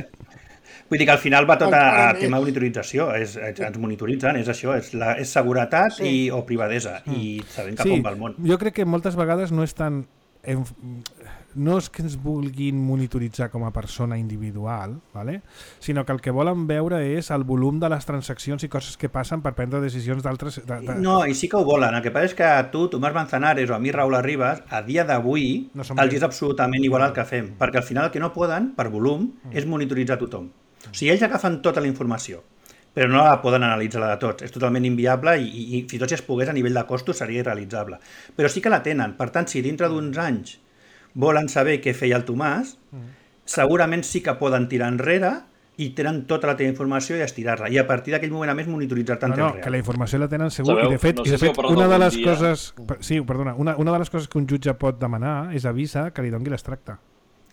Vull dir que al final va tot a, a tema de monitorització, és, ens monitoritzen, és això, és, la, és seguretat sí. i, o privadesa, mm. i sabem cap sí, on va el món. Jo crec que moltes vegades no és tan... No és que ens vulguin monitoritzar com a persona individual, ¿vale? Sinó que el que volen veure és el volum de les transaccions i coses que passen per prendre decisions d'altres... De, de... No, i sí que ho volen. El que passa és que a tu, Tomàs Manzanares o a mi, Raül Arribas, a dia d'avui no els és absolutament igual el que fem, perquè al final el que no poden, per volum, mm. és monitoritzar tothom. O sigui, ells agafen tota la informació, però no la poden analitzar la de tots. És totalment inviable i, i, i fins i tot si es pogués a nivell de costos seria irrealitzable. Però sí que la tenen. Per tant, si dintre d'uns anys volen saber què feia el Tomàs, segurament sí que poden tirar enrere i tenen tota la teva informació i estirar-la. I a partir d'aquell moment a més monitoritzar-te en no, no, temps real. Que la informació la tenen segur. Sabeu? I de fet, no sé i de fet si una de les dia... coses... Sí, perdona. Una, una de les coses que un jutge pot demanar és avisa que li doni l'extracte.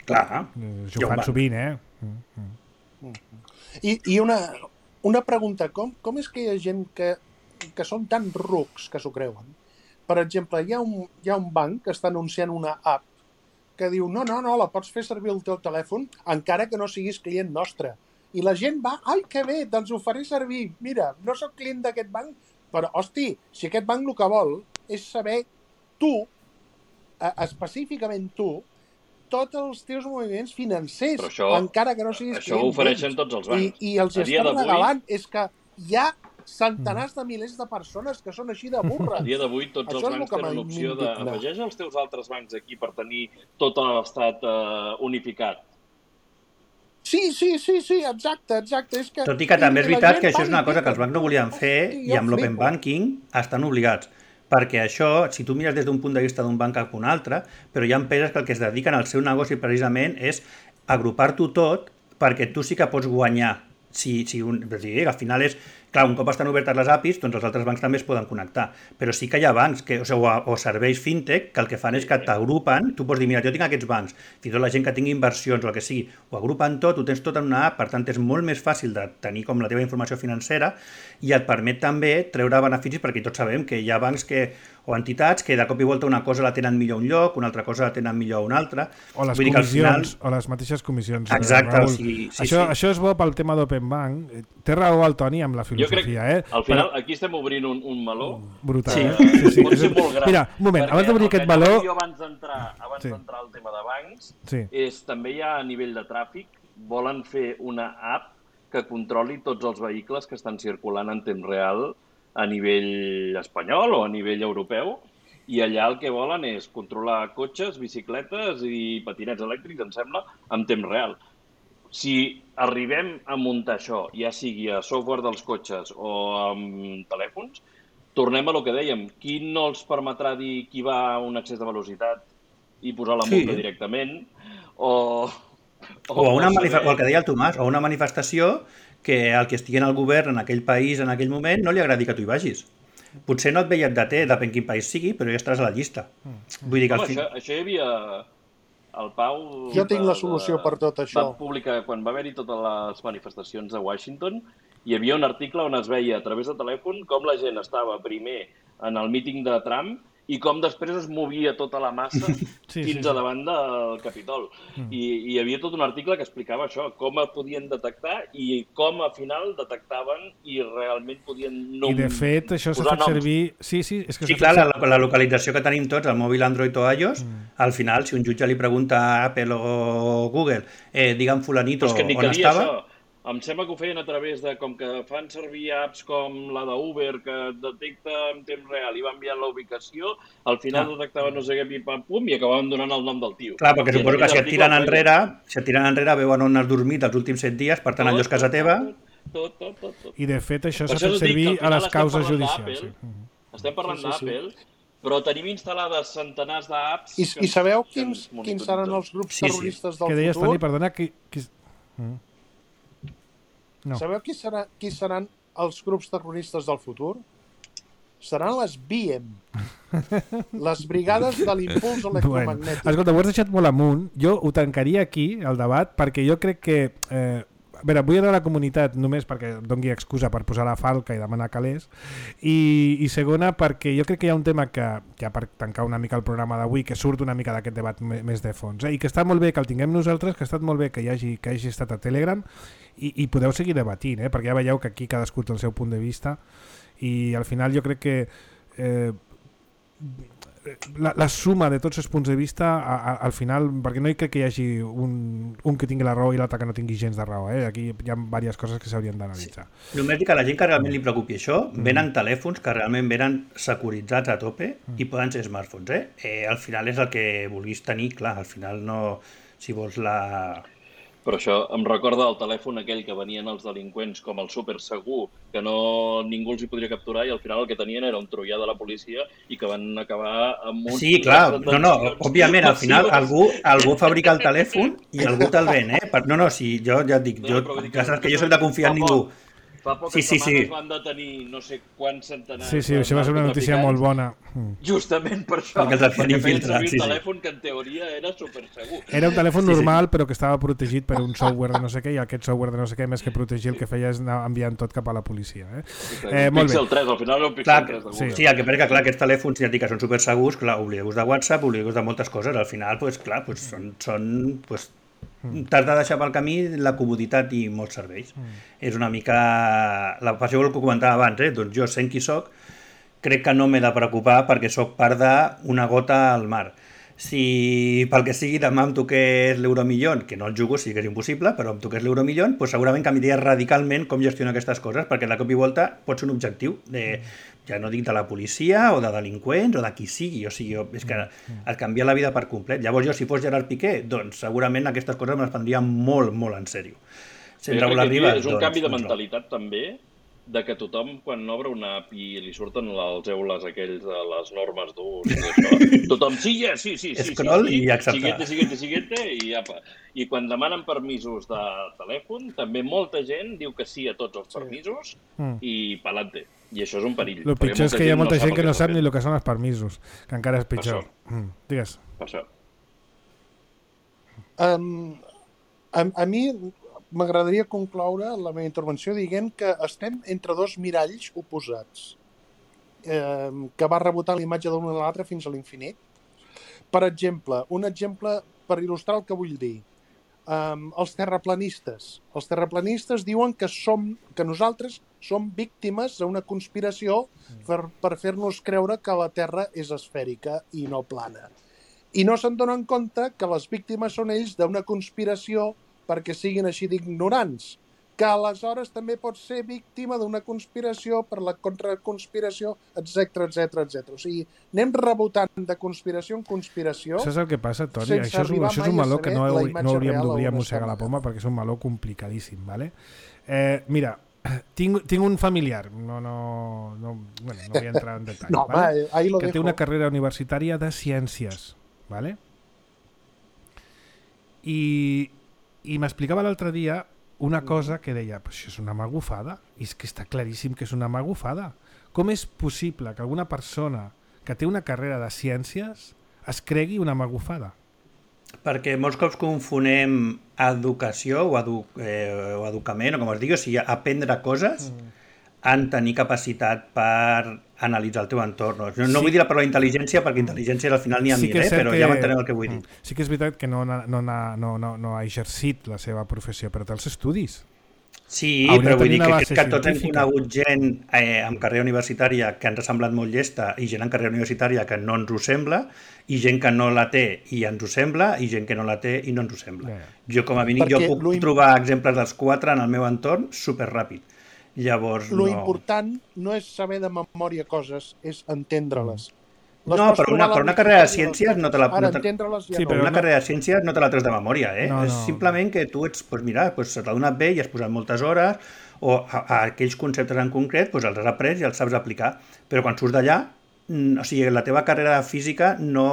Clar. Això ho fan sovint, eh? Mm, mm. I, i una, una pregunta. Com, com és que hi ha gent que, que són tan rucs que s'ho creuen? Per exemple, hi ha, un, hi ha un banc que està anunciant una app que diu, no, no, no, la pots fer servir el teu telèfon encara que no siguis client nostre. I la gent va, ai, que bé, doncs ho faré servir. Mira, no soc client d'aquest banc, però, hosti, si aquest banc el que vol és saber tu, eh, específicament tu, tots els teus moviments financers, això, encara que no siguis això client. Això ho ofereixen tots els bancs. I, i els estan regalant. És que hi ha centenars de milers de persones que són així de burres. A dia d'avui tots els bancs tenen l'opció d'afegeix els teus altres bancs aquí per tenir tot l'estat uh, unificat. Sí, sí, sí, sí, exacte, exacte. És que... Tot i que també és veritat que això és una cosa que els bancs no volien fer Hosti, i amb l'open banking estan obligats. Perquè això, si tu mires des d'un punt de vista d'un banc cap a un altre, però hi ha empreses que el que es dediquen al seu negoci precisament és agrupar-t'ho tot perquè tu sí que pots guanyar. Si, si un, és dir, al final és... Clar, un cop estan obertes les A P Is, doncs els altres bancs també es poden connectar. Però sí que hi ha bancs que, o, sigui, o, o serveis fintech que el que fan és que t'agrupen, tu pots dir, mira, jo tinc aquests bancs, fins i tot la gent que tingui inversions o el que sigui, ho agrupen tot, ho tens tot en una app, per tant és molt més fàcil de tenir com la teva informació financera i et permet també treure beneficis, perquè tots sabem que hi ha bancs que, o entitats que de cop i volta una cosa la tenen millor a un lloc, una altra cosa la tenen millor a un altre. O les Vull comissions, final... o les mateixes comissions. Exacte, Raül. sí, sí, això, sí. això és bo pel tema d'Open Bank. Té raó el Toni amb la filosofia, jo crec, eh? al final, Però... aquí estem obrint un, un meló. Brutal. Sí, Eh? sí, sí. pot ser molt gran. Mira, un moment, abans d'obrir aquest meló... Jo abans d'entrar abans sí. d'entrar al tema de bancs, sí. és també hi ha a nivell de tràfic, volen fer una app que controli tots els vehicles que estan circulant en temps real a nivell espanyol o a nivell europeu, i allà el que volen és controlar cotxes, bicicletes i patinets elèctrics, em sembla, en temps real. Si arribem a muntar això, ja sigui a software dels cotxes o amb telèfons, tornem a lo que dèiem. Qui no els permetrà dir qui va a un excés de velocitat i posar la multa sí. directament? O, o, o, a una saber... o el que deia el Tomàs, o una manifestació que el que estigui en el govern en aquell país, en aquell moment, no li agradi que tu hi vagis. Potser no et ve i et deté, depèn quin país sigui, però ja estaràs a la llista. Vull dir que Home, al fin... això, això hi havia... El Pau... Jo tinc la solució de, per tot això. Va publicar, quan va haver-hi totes les manifestacions a Washington, hi havia un article on es veia a través de telèfon com la gent estava primer en el míting de Trump i com després es movia tota la massa sí, fins sí, a davant del Capitol. Mm. I, I hi havia tot un article que explicava això, com es podien detectar i com al final detectaven i realment podien nom... I de fet, això s'ha fet servir... Sí, sí, és que sí clar, fet... la, la localització que tenim tots, el mòbil Android o iOS, mm. al final, si un jutge li pregunta a Apple o Google, eh, digue'm fulanito que on estava... Això. Em sembla que ho feien a través de, com que fan servir apps com la d'Uber, que detecta en temps real i va enviant la ubicació, al final ah. detectaven no sé què, pim, pam, pum, i acabaven donant el nom del tio. Clar, perquè I suposo que si et tiren enrere, si et tiren enrere veuen on has dormit els últims set dies, per tant allò és casa teva. Tot, tot, tot, tot. I de fet això s'ha fet servir a les causes judicials. Sí. Estem parlant sí, sí, d'Apple, sí. però tenim instal·lades centenars d'apps... I, i sabeu quins, quins seran els grups sí, terroristes sí. del futur? Que deies, Toni, perdona, que... que... Mm. No. Sabeu qui, serà, qui seran els grups terroristes del futur? Seran les B I E M, les brigades de l'impuls electromagnètic. Bueno, escolta, ho has deixat molt amunt. Jo ho tancaria aquí, el debat, perquè jo crec que... Eh, a veure, vull anar a la comunitat només perquè doni excusa per posar la falca i demanar calés, i, i segona perquè jo crec que hi ha un tema que, ja per tancar una mica el programa d'avui, que surt una mica d'aquest debat més de fons, eh? I que està molt bé que el tinguem nosaltres, que ha estat molt bé que hi hagi, que hagi estat a Telegram, i, i podeu seguir debatint, eh? Perquè ja veieu que aquí cadascú té el seu punt de vista, i al final jo crec que eh, la, la suma de tots els punts de vista a, a, al final, perquè no hi crec que hi hagi un, un que tingui la raó i l'altre que no tingui gens de raó, eh? Aquí hi ha diverses coses que s'haurien d'analitzar. Sí. Només dic que a la gent que realment li preocupi això, mm. venen telèfons que realment venen securitzats a tope mm. i poden ser smartphones, eh? eh? Al final és el que vulguis tenir, clar, al final no... Si vols la... Però això em recorda el telèfon aquell que venien els delinqüents com el super segur, que no ningú els hi podria capturar i al final el que tenien era un troià de la policia i que van acabar amb un... Sí, clar, no, no, òbviament, al final algú, algú fabrica el telèfon i algú te'l ven, eh? No, no, si jo ja et dic, jo, ja saps que jo soc de confiar en ningú. Fa poques sí, sí, setmanes sí. van detenir no sé quants centenars... Sí, sí, això va ser una notícia molt bona. Justament per això. Perquè els fan infiltrar. Sí, un telèfon sí. que en teoria era supersegur. Era un telèfon sí, normal, sí. però que estava protegit per un software de no sé què, i aquest software de no sé què, més que protegir, el que feia és anar enviant tot cap a la policia. Eh? Eh, molt Pixel bé. tres, al final era un Pixel clar, tres de Google. Sí, sí, el que passa que clar, aquests telèfons ja dic que són supersegurs, clar, oblideu-vos de WhatsApp, oblideu-vos de moltes coses, al final, pues, clar, pues, són... són pues, t'has de deixar pel camí la comoditat i molts serveis. Mm. És una mica... La passió que comentava abans, eh? Doncs jo, sent qui soc, crec que no m'he de preocupar perquè sóc part d'una gota al mar. Si pel que sigui demà em toqués l'Euromillón, que no el jugo, sí que és impossible, però em toqués l'Euromillón, doncs segurament canviaria radicalment com gestiono aquestes coses, perquè de cop i volta pot ser un objectiu, de, ja no dic de la policia o de delinqüents o de qui sigui, o sigui, és que et canvia la vida per complet. Llavors jo, si fos Gerard Piqué, doncs segurament aquestes coses me les prendria molt, molt en sèrio. Sent Raúl Ribas, és un doncs, canvi de mentalitat no. també, de que tothom, quan obre una app i li surten els eules aquells de les normes d'ús i això, tothom, sí, yeah, sí, sí, sí, Scroll sí, sí, i acceptar. Siguiente, siguiente, siguiente, i apa. I quan demanen permisos de telèfon, també molta gent diu que sí a tots els permisos sí. i pa'lante. I això és un perill. El pitjor és que hi ha molta gent que no sap ni el que són els permisos, que encara és pitjor. Mm, digues. Per això. Um, a, a mi m'agradaria concloure la meva intervenció dient que estem entre dos miralls oposats, eh, que va rebotant la imatge d'un a l'altre fins a l'infinit. Per exemple, un exemple per il·lustrar el que vull dir. Um, els terraplanistes. Els terraplanistes diuen que, som, que nosaltres som víctimes d'una conspiració per, per fer-nos creure que la Terra és esfèrica i no plana. I no se'n donen compte que les víctimes són ells d'una conspiració perquè siguin així d'ignorants, que aleshores també pot ser víctima d'una conspiració per la contraconspiració, etcètera, etcètera, etcètera. O sigui, anem rebotant de conspiració en conspiració. Saps el que passa, Toni? Això és, això és un meló que no, no hauríem d'obrir a mossegar la poma perquè és un meló complicadíssim, ¿vale? Eh, mira, tinc, tinc un familiar, no, no, no, bueno, no vull entrar en detall, no, ¿vale? va, ahí lo que dejo. té una carrera universitària de ciències, ¿vale? I... I m'explicava l'altre dia una cosa que deia, però això és una magufada, i és que està claríssim que és una magufada. Com és possible que alguna persona que té una carrera de ciències es cregui una magufada? Perquè molts cops confonem educació o, edu eh, o educament, o com es digui, o sigui, aprendre coses mm. en tenir capacitat per analitzar el teu entorn. No, no sí. vull dir la paraula intel·ligència, perquè intel·ligència al final n'hi ha sí mil, eh? però que... ja m'entenem el que vull dir. Sí que és veritat que no, no, no, no, no, no ha exercit la seva professió, però té els estudis. Sí, hauria però vull dir que, que tots hem conegut gent eh, amb carrera universitària que ens ha semblat molt llesta i gent amb carrera universitària que no ens ho sembla i gent que no la té i ens ho sembla i gent que no la té i no ens ho sembla. Yeah. Jo com a mínim jo puc trobar exemples dels quatre en el meu entorn superràpid. Llavors, lo no... important no és saber de memòria coses, és entendre-les. Les no, per una, per una carrera de ciències no te la... Ara, no te... entendre-les ja sí, no. Per una carrera de ciències no te la tres de memòria, eh? No, no. És simplement que tu ets, pues mira, pues se t'ha donat bé i has posat moltes hores, o a, a aquells conceptes en concret pues els has après i els saps aplicar. Però quan surts d'allà, o sigui, la teva carrera de física no...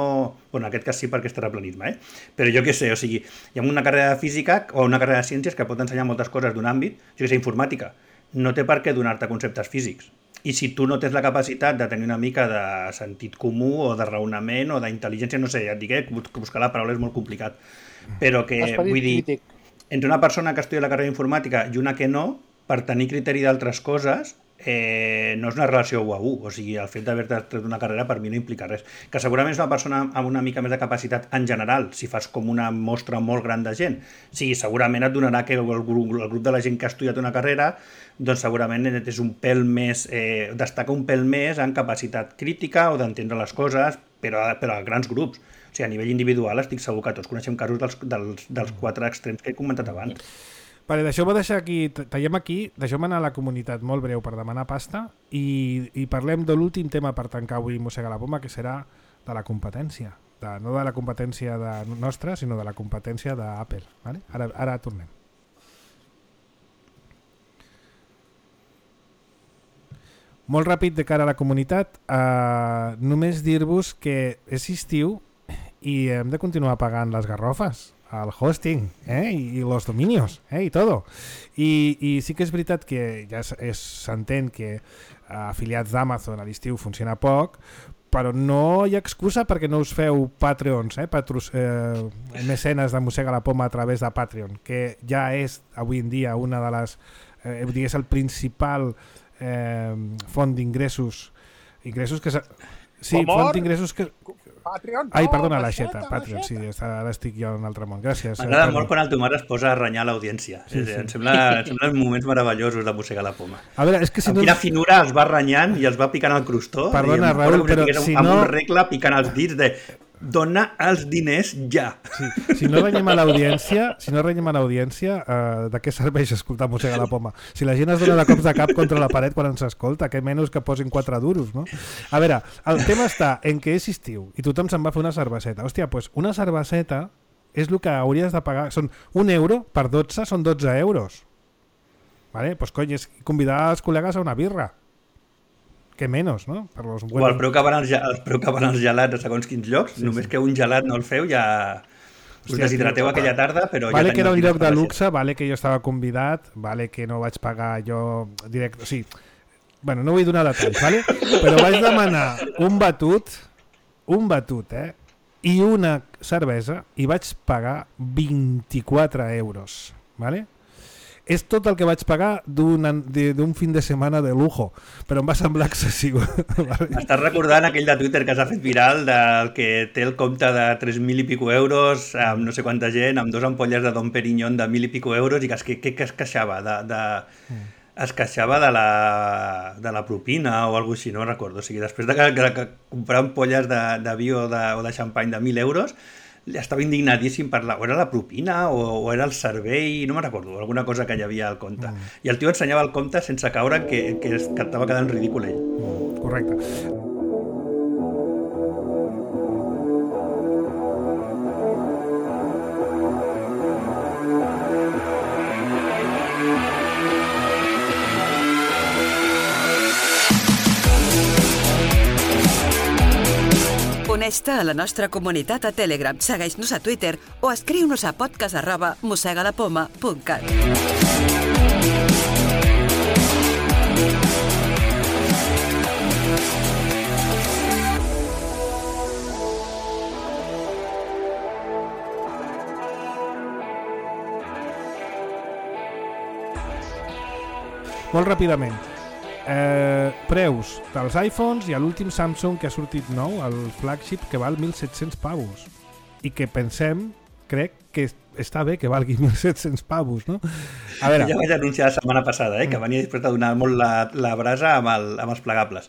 Bueno, en aquest cas sí perquè és terraplanisme, eh? Però jo què sé, o sigui, hi ha una carrera de física o una carrera de ciències que pot ensenyar moltes coses d'un àmbit, jo què sé, informàtica, no té per què donar-te conceptes físics. I si tu no tens la capacitat de tenir una mica de sentit comú o de raonament o d'intel·ligència, no sé, ja et dic, eh, buscar la paraula és molt complicat, però que, Esperit vull dir, crític. Entre una persona que estudia la carrera d'informàtica i una que no, per tenir criteri d'altres coses, eh, no és una relació u a u, o sigui, el fet d'haver tret una carrera per mi no implica res. Que segurament és una persona amb una mica més de capacitat en general, si fas com una mostra molt gran de gent. Sí, segurament et donarà que el grup, el grup de la gent que ha estudiat una carrera doncs segurament és un pèl més, eh, destaca un pèl més en capacitat crítica o d'entendre les coses, però, però a grans grups. O sigui, a nivell individual estic segur que tots coneixem casos dels, dels, dels quatre extrems que he comentat abans. Vale, deixeu-me deixar aquí, tallem aquí, deixeu-me anar a la comunitat molt breu per demanar pasta i, i parlem de l'últim tema per tancar avui Mossega la Poma, que serà de la competència. De, no de la competència de nostra, sinó de la competència d'Apple. Vale? Ara, ara tornem. Molt ràpid de cara a la comunitat, eh, només dir-vos que és estiu i hem de continuar pagant les garrofes, el hosting, eh? I, i los dominios, eh? I todo. I, i sí que és veritat que ja s'entén que afiliats d'Amazon a l'estiu funciona poc, però no hi ha excusa perquè no us feu Patreons, eh? Patros, eh, mecenes de Mossega la Poma a través de Patreon, que ja és avui en dia una de les, eh, digués, el principal eh, font d'ingressos, ingressos que... Sí, font d'ingressos que... Patreon, no, Ai, perdona, l'aixeta, Patreon, sí, ara estic jo en un altre món, gràcies. M'agrada molt quan el teu mare es posa a renyar l'audiència, sí, sí. Em sembla, em sembla moments meravellosos de Mossegar la Poma. A veure, és que si amb no... quina finura els va renyant i els va picant el crostó. Perdona, i Raül, però si amb no... un regle picant els dits de dona els diners ja. Sí. Si no renyem a l'audiència, si no renyem a l'audiència, eh, de què serveix escoltar Mossega la Poma? Si la gent es dona de cops de cap contra la paret quan ens escolta, què menys que posin quatre duros, no? A veure, el tema està en què és estiu i tothom se'n va fer una cerveseta. Hòstia, doncs una cerveseta és el que hauries de pagar. Són un euro per dotze, són dotze euros. Vale? Pues cony, és convidar els col·legues a una birra. Que menys, no? Per los buenos... O el preu que van els, el preu que van els gelats a segons quins llocs, sí, només sí. que un gelat no el feu ja... Us Hòstia, deshidrateu aquella tarda, però... Vale ja que era un lloc de luxe, vale que jo estava convidat, vale que no vaig pagar jo directe... O sigui, bueno, no vull donar detalls, vale? Però vaig demanar un batut, un batut, eh? I una cervesa i vaig pagar vint-i-quatre euros, vale? És tot el que vaig pagar d'un fin de setmana de lujo, però em va semblar excessiu. Vale? Estàs recordant aquell de Twitter que s'ha fet viral del que té el compte de tres mil i pico euros, amb no sé quanta gent, amb dos ampolles de Dom Perignon de mil i pico euros, i que es, que, que es queixava de, de, es queixava de la, de la propina o alguna cosa així, no recordo. O sigui, després de que, que, que comprar ampolles de, de vi o de, o de xampany de mil euros, estava indignadíssim per la... O era la propina o, o era el servei, no me'n recordo, alguna cosa que hi havia al compte. Mm. I el tio ensenyava el compte sense caure que, que, que estava quedant ridícul ell. Mm, correcte. Uneix-te a la nostra comunitat a Telegram, segueix-nos a Twitter o escriu-nos a podcast arroba mossegalapoma punt cat. Molt ràpidament. Eh, preus dels iPhones i a l'últim Samsung que ha sortit nou, el flagship, que val mil set-cents pavos i que pensem, crec que està bé que valgui mil set-cents pavos, no? A veure... Ja vaig anunciar la setmana passada, eh, que venia després de donar molt la, la brasa amb, el, amb els plegables.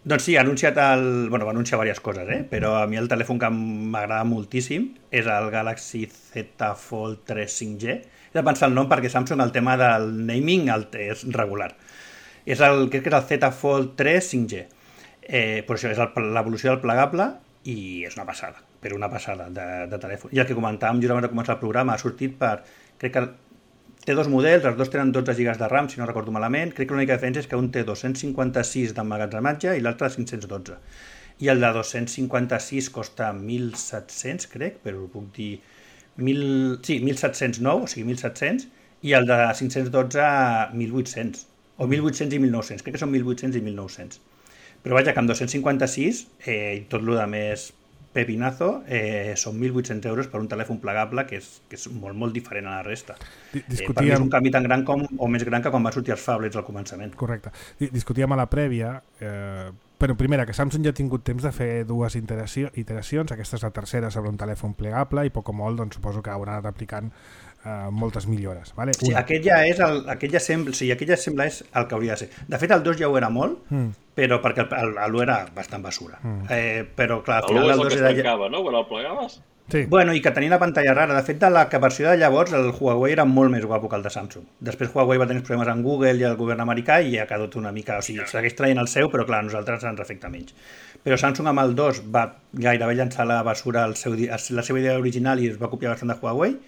Doncs sí, ha anunciat el... Bueno, va anunciar diverses coses, eh? Però a mi el telèfon que m'agrada moltíssim és el Galaxy Z Fold tres cinc G. He de pensar el nom perquè Samsung el tema del naming el és regular. És el, crec que és el Z Fold tres cinc G. Eh, per això és l'evolució del plegable i és una passada, però una passada de, de telèfon. I el que comentàvem just abans de començar el programa ha sortit per... Crec que té dos models, els dos tenen dotze gigas de RAM, si no recordo malament. Crec que l'única diferència és que un té dos-cents cinquanta-sis d'emmagatzematge i l'altre cinc-cents dotze. I el de dos-cents cinquanta-sis costa mil set-cents, crec, però ho puc dir... mil... Sí, mil set-cents nou, o sigui, mil set-cents, i el de cinc-cents dotze, mil vuit-cents. O mil vuit-cents i mil nou-cents, crec que són mil vuit-cents i mil nou-cents. Però vaja, que amb dos-cents cinquanta-sis eh, i tot el de més pepinazo eh, són mil vuit-cents euros per un telèfon plegable que és, que és molt, molt diferent a la resta. Discutíem... Eh, per mi és un canvi tan gran com, o més gran que quan va sortir els phablets al començament. Correcte. Discutíem a la prèvia, eh, però primera, que Samsung ja ha tingut temps de fer dues iteració, iteracions, aquesta és la tercera sobre un telèfon plegable i poc o molt doncs, suposo que haurà anat aplicant Uh, moltes millores, vale? Sí, aquest ja és el, aquest ja sembla, sí, aquest ja sembla és el que hauria de ser. De fet, el dos ja ho era molt, mm. però perquè l'u era bastant basura. Mm. Eh, però clar, al final el el dos és el que es tancava, no? Quan el plegaves? Sí. Bueno, i que tenia la pantalla rara. De fet, de la versió de llavors, el Huawei era molt més guapo que el de Samsung. Després Huawei va tenir problemes amb Google i el govern americà i ha quedat una mica... O sigui, segueix traient el seu, però clar, a nosaltres ens afecta menys. Però Samsung amb el dos va gairebé llançar la basura el seu, la seva idea original i es va copiar bastant de Huawei,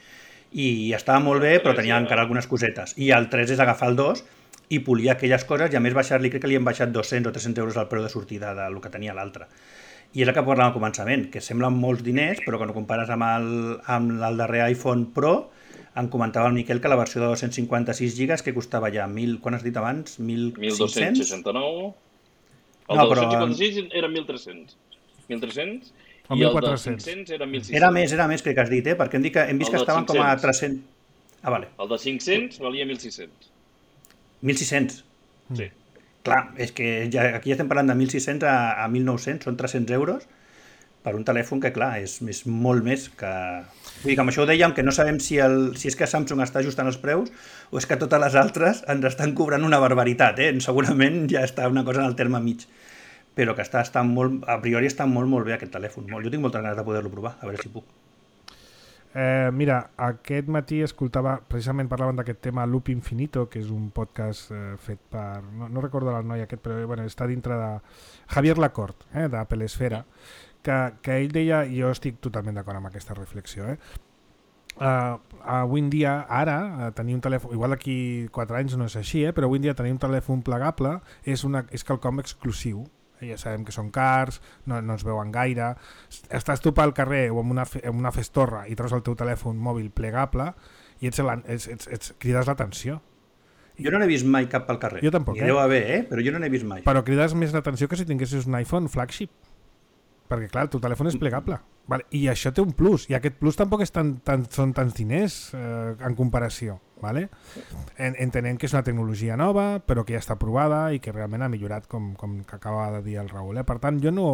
i estava molt bé, però tenia encara algunes cosetes. I el tres és agafar el dos i polir aquelles coses, i a més baixar-li, crec que li han baixat dos-cents o tres-cents euros al preu de sortida del que tenia l'altre. I és el que parlàvem al començament, que semblen molts diners, però quan ho compares amb el, amb el darrer iPhone Pro, em comentava el Miquel que la versió de dos-cents cinquanta-sis gigas que costava ja mil, quan has dit abans? mil dos-cents seixanta-nou. El no, de però... dos-cents cinquanta-sis era mil tres-cents. mil tres-cents? O I el de cinc-cents era mil sis-cents. Era més, era més, crec que has dit, eh? Perquè hem, dit que, hem vist que estaven com a tres-cents. Ah, vale. El de cinc-cents valia mil sis-cents. mil sis-cents? Sí. Clar, és que ja, aquí ja estem parlant de mil sis-cents a, a mil nou-cents, són tres-cents euros per un telèfon que, clar, és, és molt més que... Vull dir que amb això ho dèiem, que no sabem si, el, si és que Samsung està ajustant els preus o és que totes les altres ens estan cobrant una barbaritat, eh? Segurament ja està una cosa en el terme mig. però que està, està molt, a priori està molt, molt bé aquest telèfon. Jo tinc moltes ganes de poder-lo provar, a veure si puc. Eh, mira, aquest matí escoltava, precisament parlaven d'aquest tema Loop Infinito, que és un podcast eh, fet per, no, no recordo el noi aquest, però bueno, està dintre de Javier Lacorte, eh, d'Apple Esfera, que, que ell deia, i jo estic totalment d'acord amb aquesta reflexió, eh, Uh, avui en dia, ara, uh, tenir un telèfon, igual d'aquí quatre anys no és així, eh, però avui en dia tenir un telèfon plegable és, una, és quelcom exclusiu. Ja sabem que són cars, no, no ens veuen gaire. Estàs tu pel carrer o en una, fe, en una festorra i treus el teu telèfon mòbil plegable i ets, ets, ets, ets, crides l'atenció. Jo no n'he vist mai cap pel carrer. Jo tampoc, Ni eh? deu haver, eh? Però jo no n'he vist mai. Però crides més l'atenció que si tinguessis un iPhone flagship. Perquè, clar, el teu telèfon és plegable. Vale? I això té un plus. I aquest plus tampoc és tan, tan, són tants diners eh, en comparació. Vale? En, entenent que és una tecnologia nova, però que ja està provada i que realment ha millorat, com, com que acaba de dir el Raül. Eh? Per tant, jo no,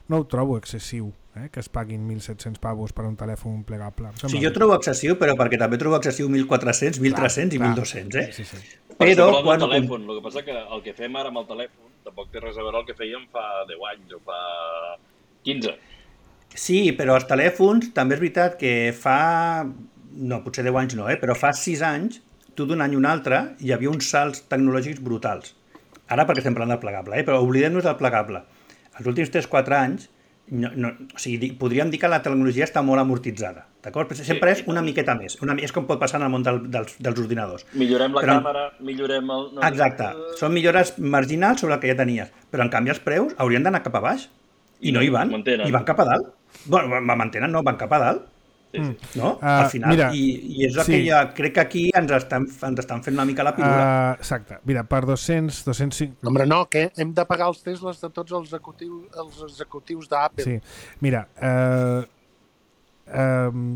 no ho trobo excessiu, eh? que es paguin mil set-cents pavos per un telèfon plegable. Sí, jo trobo excessiu, però perquè també trobo excessiu mil quatre-cents, mil tres-cents i mil dos-cents. Eh? Sí, sí, sí. Però per quan... el telèfon, el que passa que el que fem ara amb el telèfon tampoc té res a veure el que fèiem fa deu anys o fa quinze. Sí, però els telèfons també és veritat que fa, no, potser deu anys no, eh? però fa sis anys, tu d'un any a un altre, hi havia uns salts tecnològics brutals. Ara perquè estem parlant del plegable, eh? però oblidem-nos del plegable. Els últims tres quatre anys, no, no, o sigui, podríem dir que la tecnologia està molt amortitzada, d'acord? Però sempre sí, és una miqueta més, una, és com pot passar en el món del, dels, dels ordinadors. Millorem la però, càmera, millorem el... No, exacte, són millores marginals sobre el que ja tenies, però en canvi els preus haurien d'anar cap a baix. I no hi van, i van cap a dalt. Bueno, mantenen, no, van cap a dalt. Sí, sí. No? Uh, Al final. Mira, I, I és el sí. que ja crec que aquí ens estan, ens estan fent una mica la pirula. Uh, exacte. Mira, per dos-cents, dos-cents cinc... No, hombre, no, que hem de pagar els Teslas de tots els executius, els executius d'Apple. Sí. Mira, uh, um,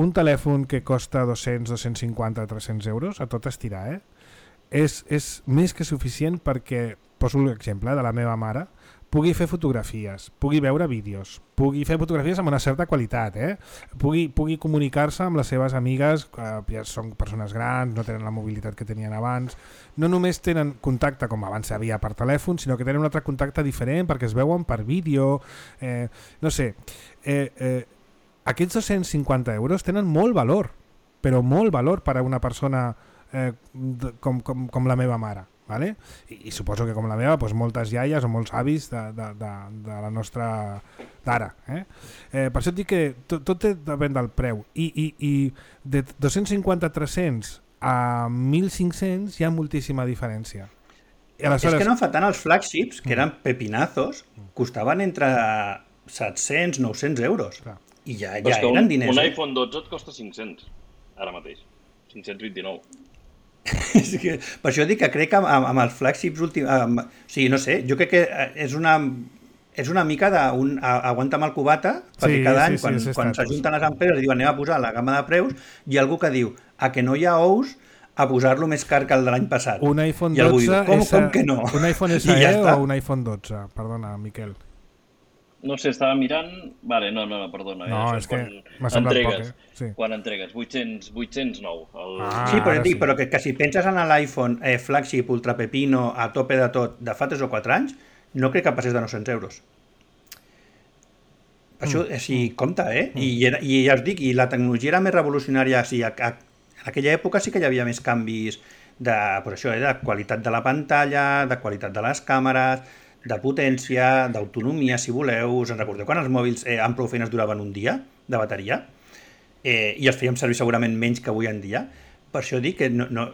un telèfon que costa dos-cents, dos-cents cinquanta, tres-cents euros, a tot estirar, eh? És, és més que suficient perquè, poso l'exemple de la meva mare, pugui fer fotografies, pugui veure vídeos, pugui fer fotografies amb una certa qualitat, eh? pugui, pugui comunicar-se amb les seves amigues, que ja són persones grans, no tenen la mobilitat que tenien abans, no només tenen contacte com abans hi havia per telèfon, sinó que tenen un altre contacte diferent perquè es veuen per vídeo, eh, no sé, eh, eh, aquests dos-cents cinquanta euros tenen molt valor, però molt valor per a una persona eh, com, com, com la meva mare. Vale? I, i suposo que com la meva doncs moltes iaies o molts avis de, de, de, de la nostra d'ara, eh? Eh, per això et dic que tot, tot depèn del preu i, i, i de dos-cents cinquanta a tres-cents a mil cinc-cents hi ha moltíssima diferència. I aleshores... És que no fa tant els flagships, que eren pepinazos, costaven entre set-cents, nou-cents euros. Clar. I ja, ja eren un, diners. Un iPhone dotze et costa cinc-cents, ara mateix. cinc-cents vint-i-nou. És que, per això dic que crec que amb, amb els flagships últims... Amb, o sigui, no sé, jo crec que és una, és una mica d'un aguanta'm el cubata, perquè sí, cada any, sí, sí, quan, quan s'ajunten les empreses i diuen anem a posar la gamma de preus, hi ha algú que diu a que no hi ha ous a posar-lo més car que el de l'any passat. Un iPhone dotze... Diu, com, com que no? Un iPhone S E ja o un iPhone dotze? Perdona, Miquel. No sé, estava mirant... Vale, no, no, no perdona. No, eh? és que m'ha semblat poc, eh? Sí. Quan entregues? vuit-cents, vuit-cents nou. El... Ah, sí, però, dic, sí. però que, que si penses en l'iPhone eh, flagship ultra pepino a tope de tot de fa tres o quatre anys, no crec que passés de nou-cents euros. Per això, mm. sí, compte, eh? Mm. I, I ja us dic, i la tecnologia era més revolucionària. Sí, a, a, en aquella època sí que hi havia més canvis de, per això, eh, de qualitat de la pantalla, de qualitat de les càmeres, de potència, d'autonomia, si voleu. Us en recordeu quan els mòbils eh, amb prou feines duraven un dia de bateria? Eh, I els fèiem servir segurament menys que avui en dia. Per això dic que no, no,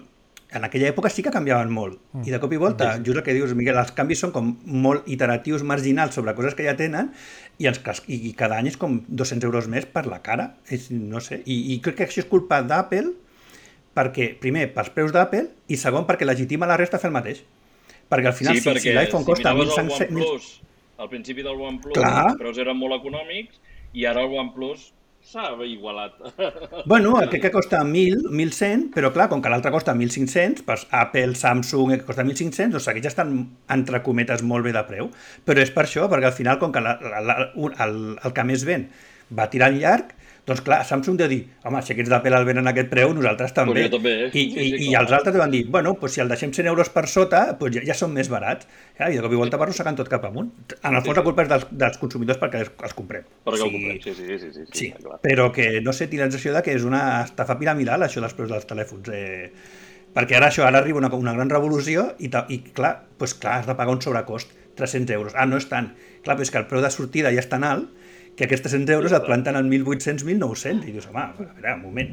en aquella època sí que canviaven molt. Mm. I de cop i volta, just el que dius, Miquel, els canvis són com molt iteratius, marginals sobre coses que ja tenen i, ens, i, i cada any és com dos-cents euros més per la cara. És, no sé. I, I crec que això és culpa d'Apple perquè, primer, pels preus d'Apple i segon, perquè legitima la resta a fer el mateix. Perquè al final, sí, si, si l'iPhone si costa mil cinc-cents... Al principi del OnePlus Clar. els preus eren molt econòmics i ara el OnePlus s'ha igualat. Bueno, crec que costa mil, mil cent, però clar, com que l'altre costa mil cinc-cents, doncs Apple, Samsung, que costa mil cinc-cents, doncs segueix estan, entre cometes, molt bé de preu. Però és per això, perquè al final, com que la, la, la, el, el que més ven va tirant llarg, Doncs clar, Samsung deu dir, home, si aquests d'Apple el venen a aquest preu, nosaltres també. Pues jo també, eh? I, Sí, sí, i, i clar. els altres deuen dir, bueno, pues si el deixem cent euros per sota, pues ja, ja són més barats. Ja, I de cop i volta va arrossegant tot cap amunt. En el fons la culpa és dels, dels consumidors perquè els, els comprem. Perquè Sí. el comprem, sí, sí, sí. Sí, sí, Sí, clar. però que no sé, tinc la sensació de que és una estafa piramidal, això dels preus dels telèfons. Eh, perquè ara això, ara arriba una, una gran revolució i, ta, i clar, pues clar, has de pagar un sobrecost, tres-cents euros. Ah, no és tant. Clar, però és que el preu de sortida ja és tan alt que aquests tres-cents euros et planten en mil vuit-cents, mil nou-cents. I dius, home, a veure, un moment.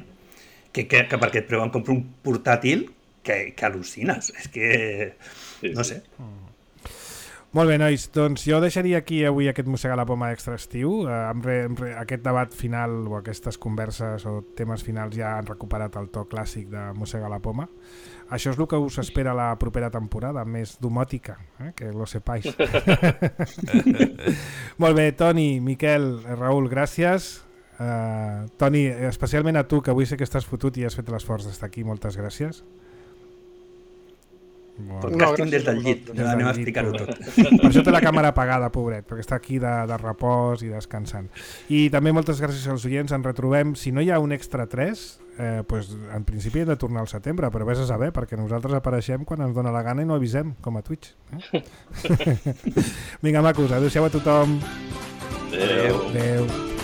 Que, que, que per aquest preu em compro un portàtil que, que al·lucines. És que, Sí, no sí. sé. Molt bé, nois, doncs jo deixaria aquí avui aquest Mossegar la Poma extra estiu. Eh, amb re, amb re, aquest debat final o aquestes converses o temes finals ja han recuperat el to clàssic de Mossegar la Poma. Això és el que us espera la propera temporada, més domòtica, eh? Que lo sepáis. Molt bé, Toni, Miquel, Raül, gràcies. Uh, Toni, especialment a tu, que avui sé que estàs fotut i has fet l'esforç d'estar aquí, moltes gràcies. Bueno. Podcasting des del llit, Des del anem a llit, explicar-ho pobret. tot. Per això té la càmera apagada, pobret, perquè està aquí de, de repòs i descansant. I també moltes gràcies als oients, ens retrobem. Si no hi ha un extra tres, eh, pues, en principi hem de tornar al setembre, però vés a saber, perquè nosaltres apareixem quan ens dona la gana i no avisem, com a Twitch. Eh? Vinga, macos, adéu-siau a tothom. Adéu. Adéu.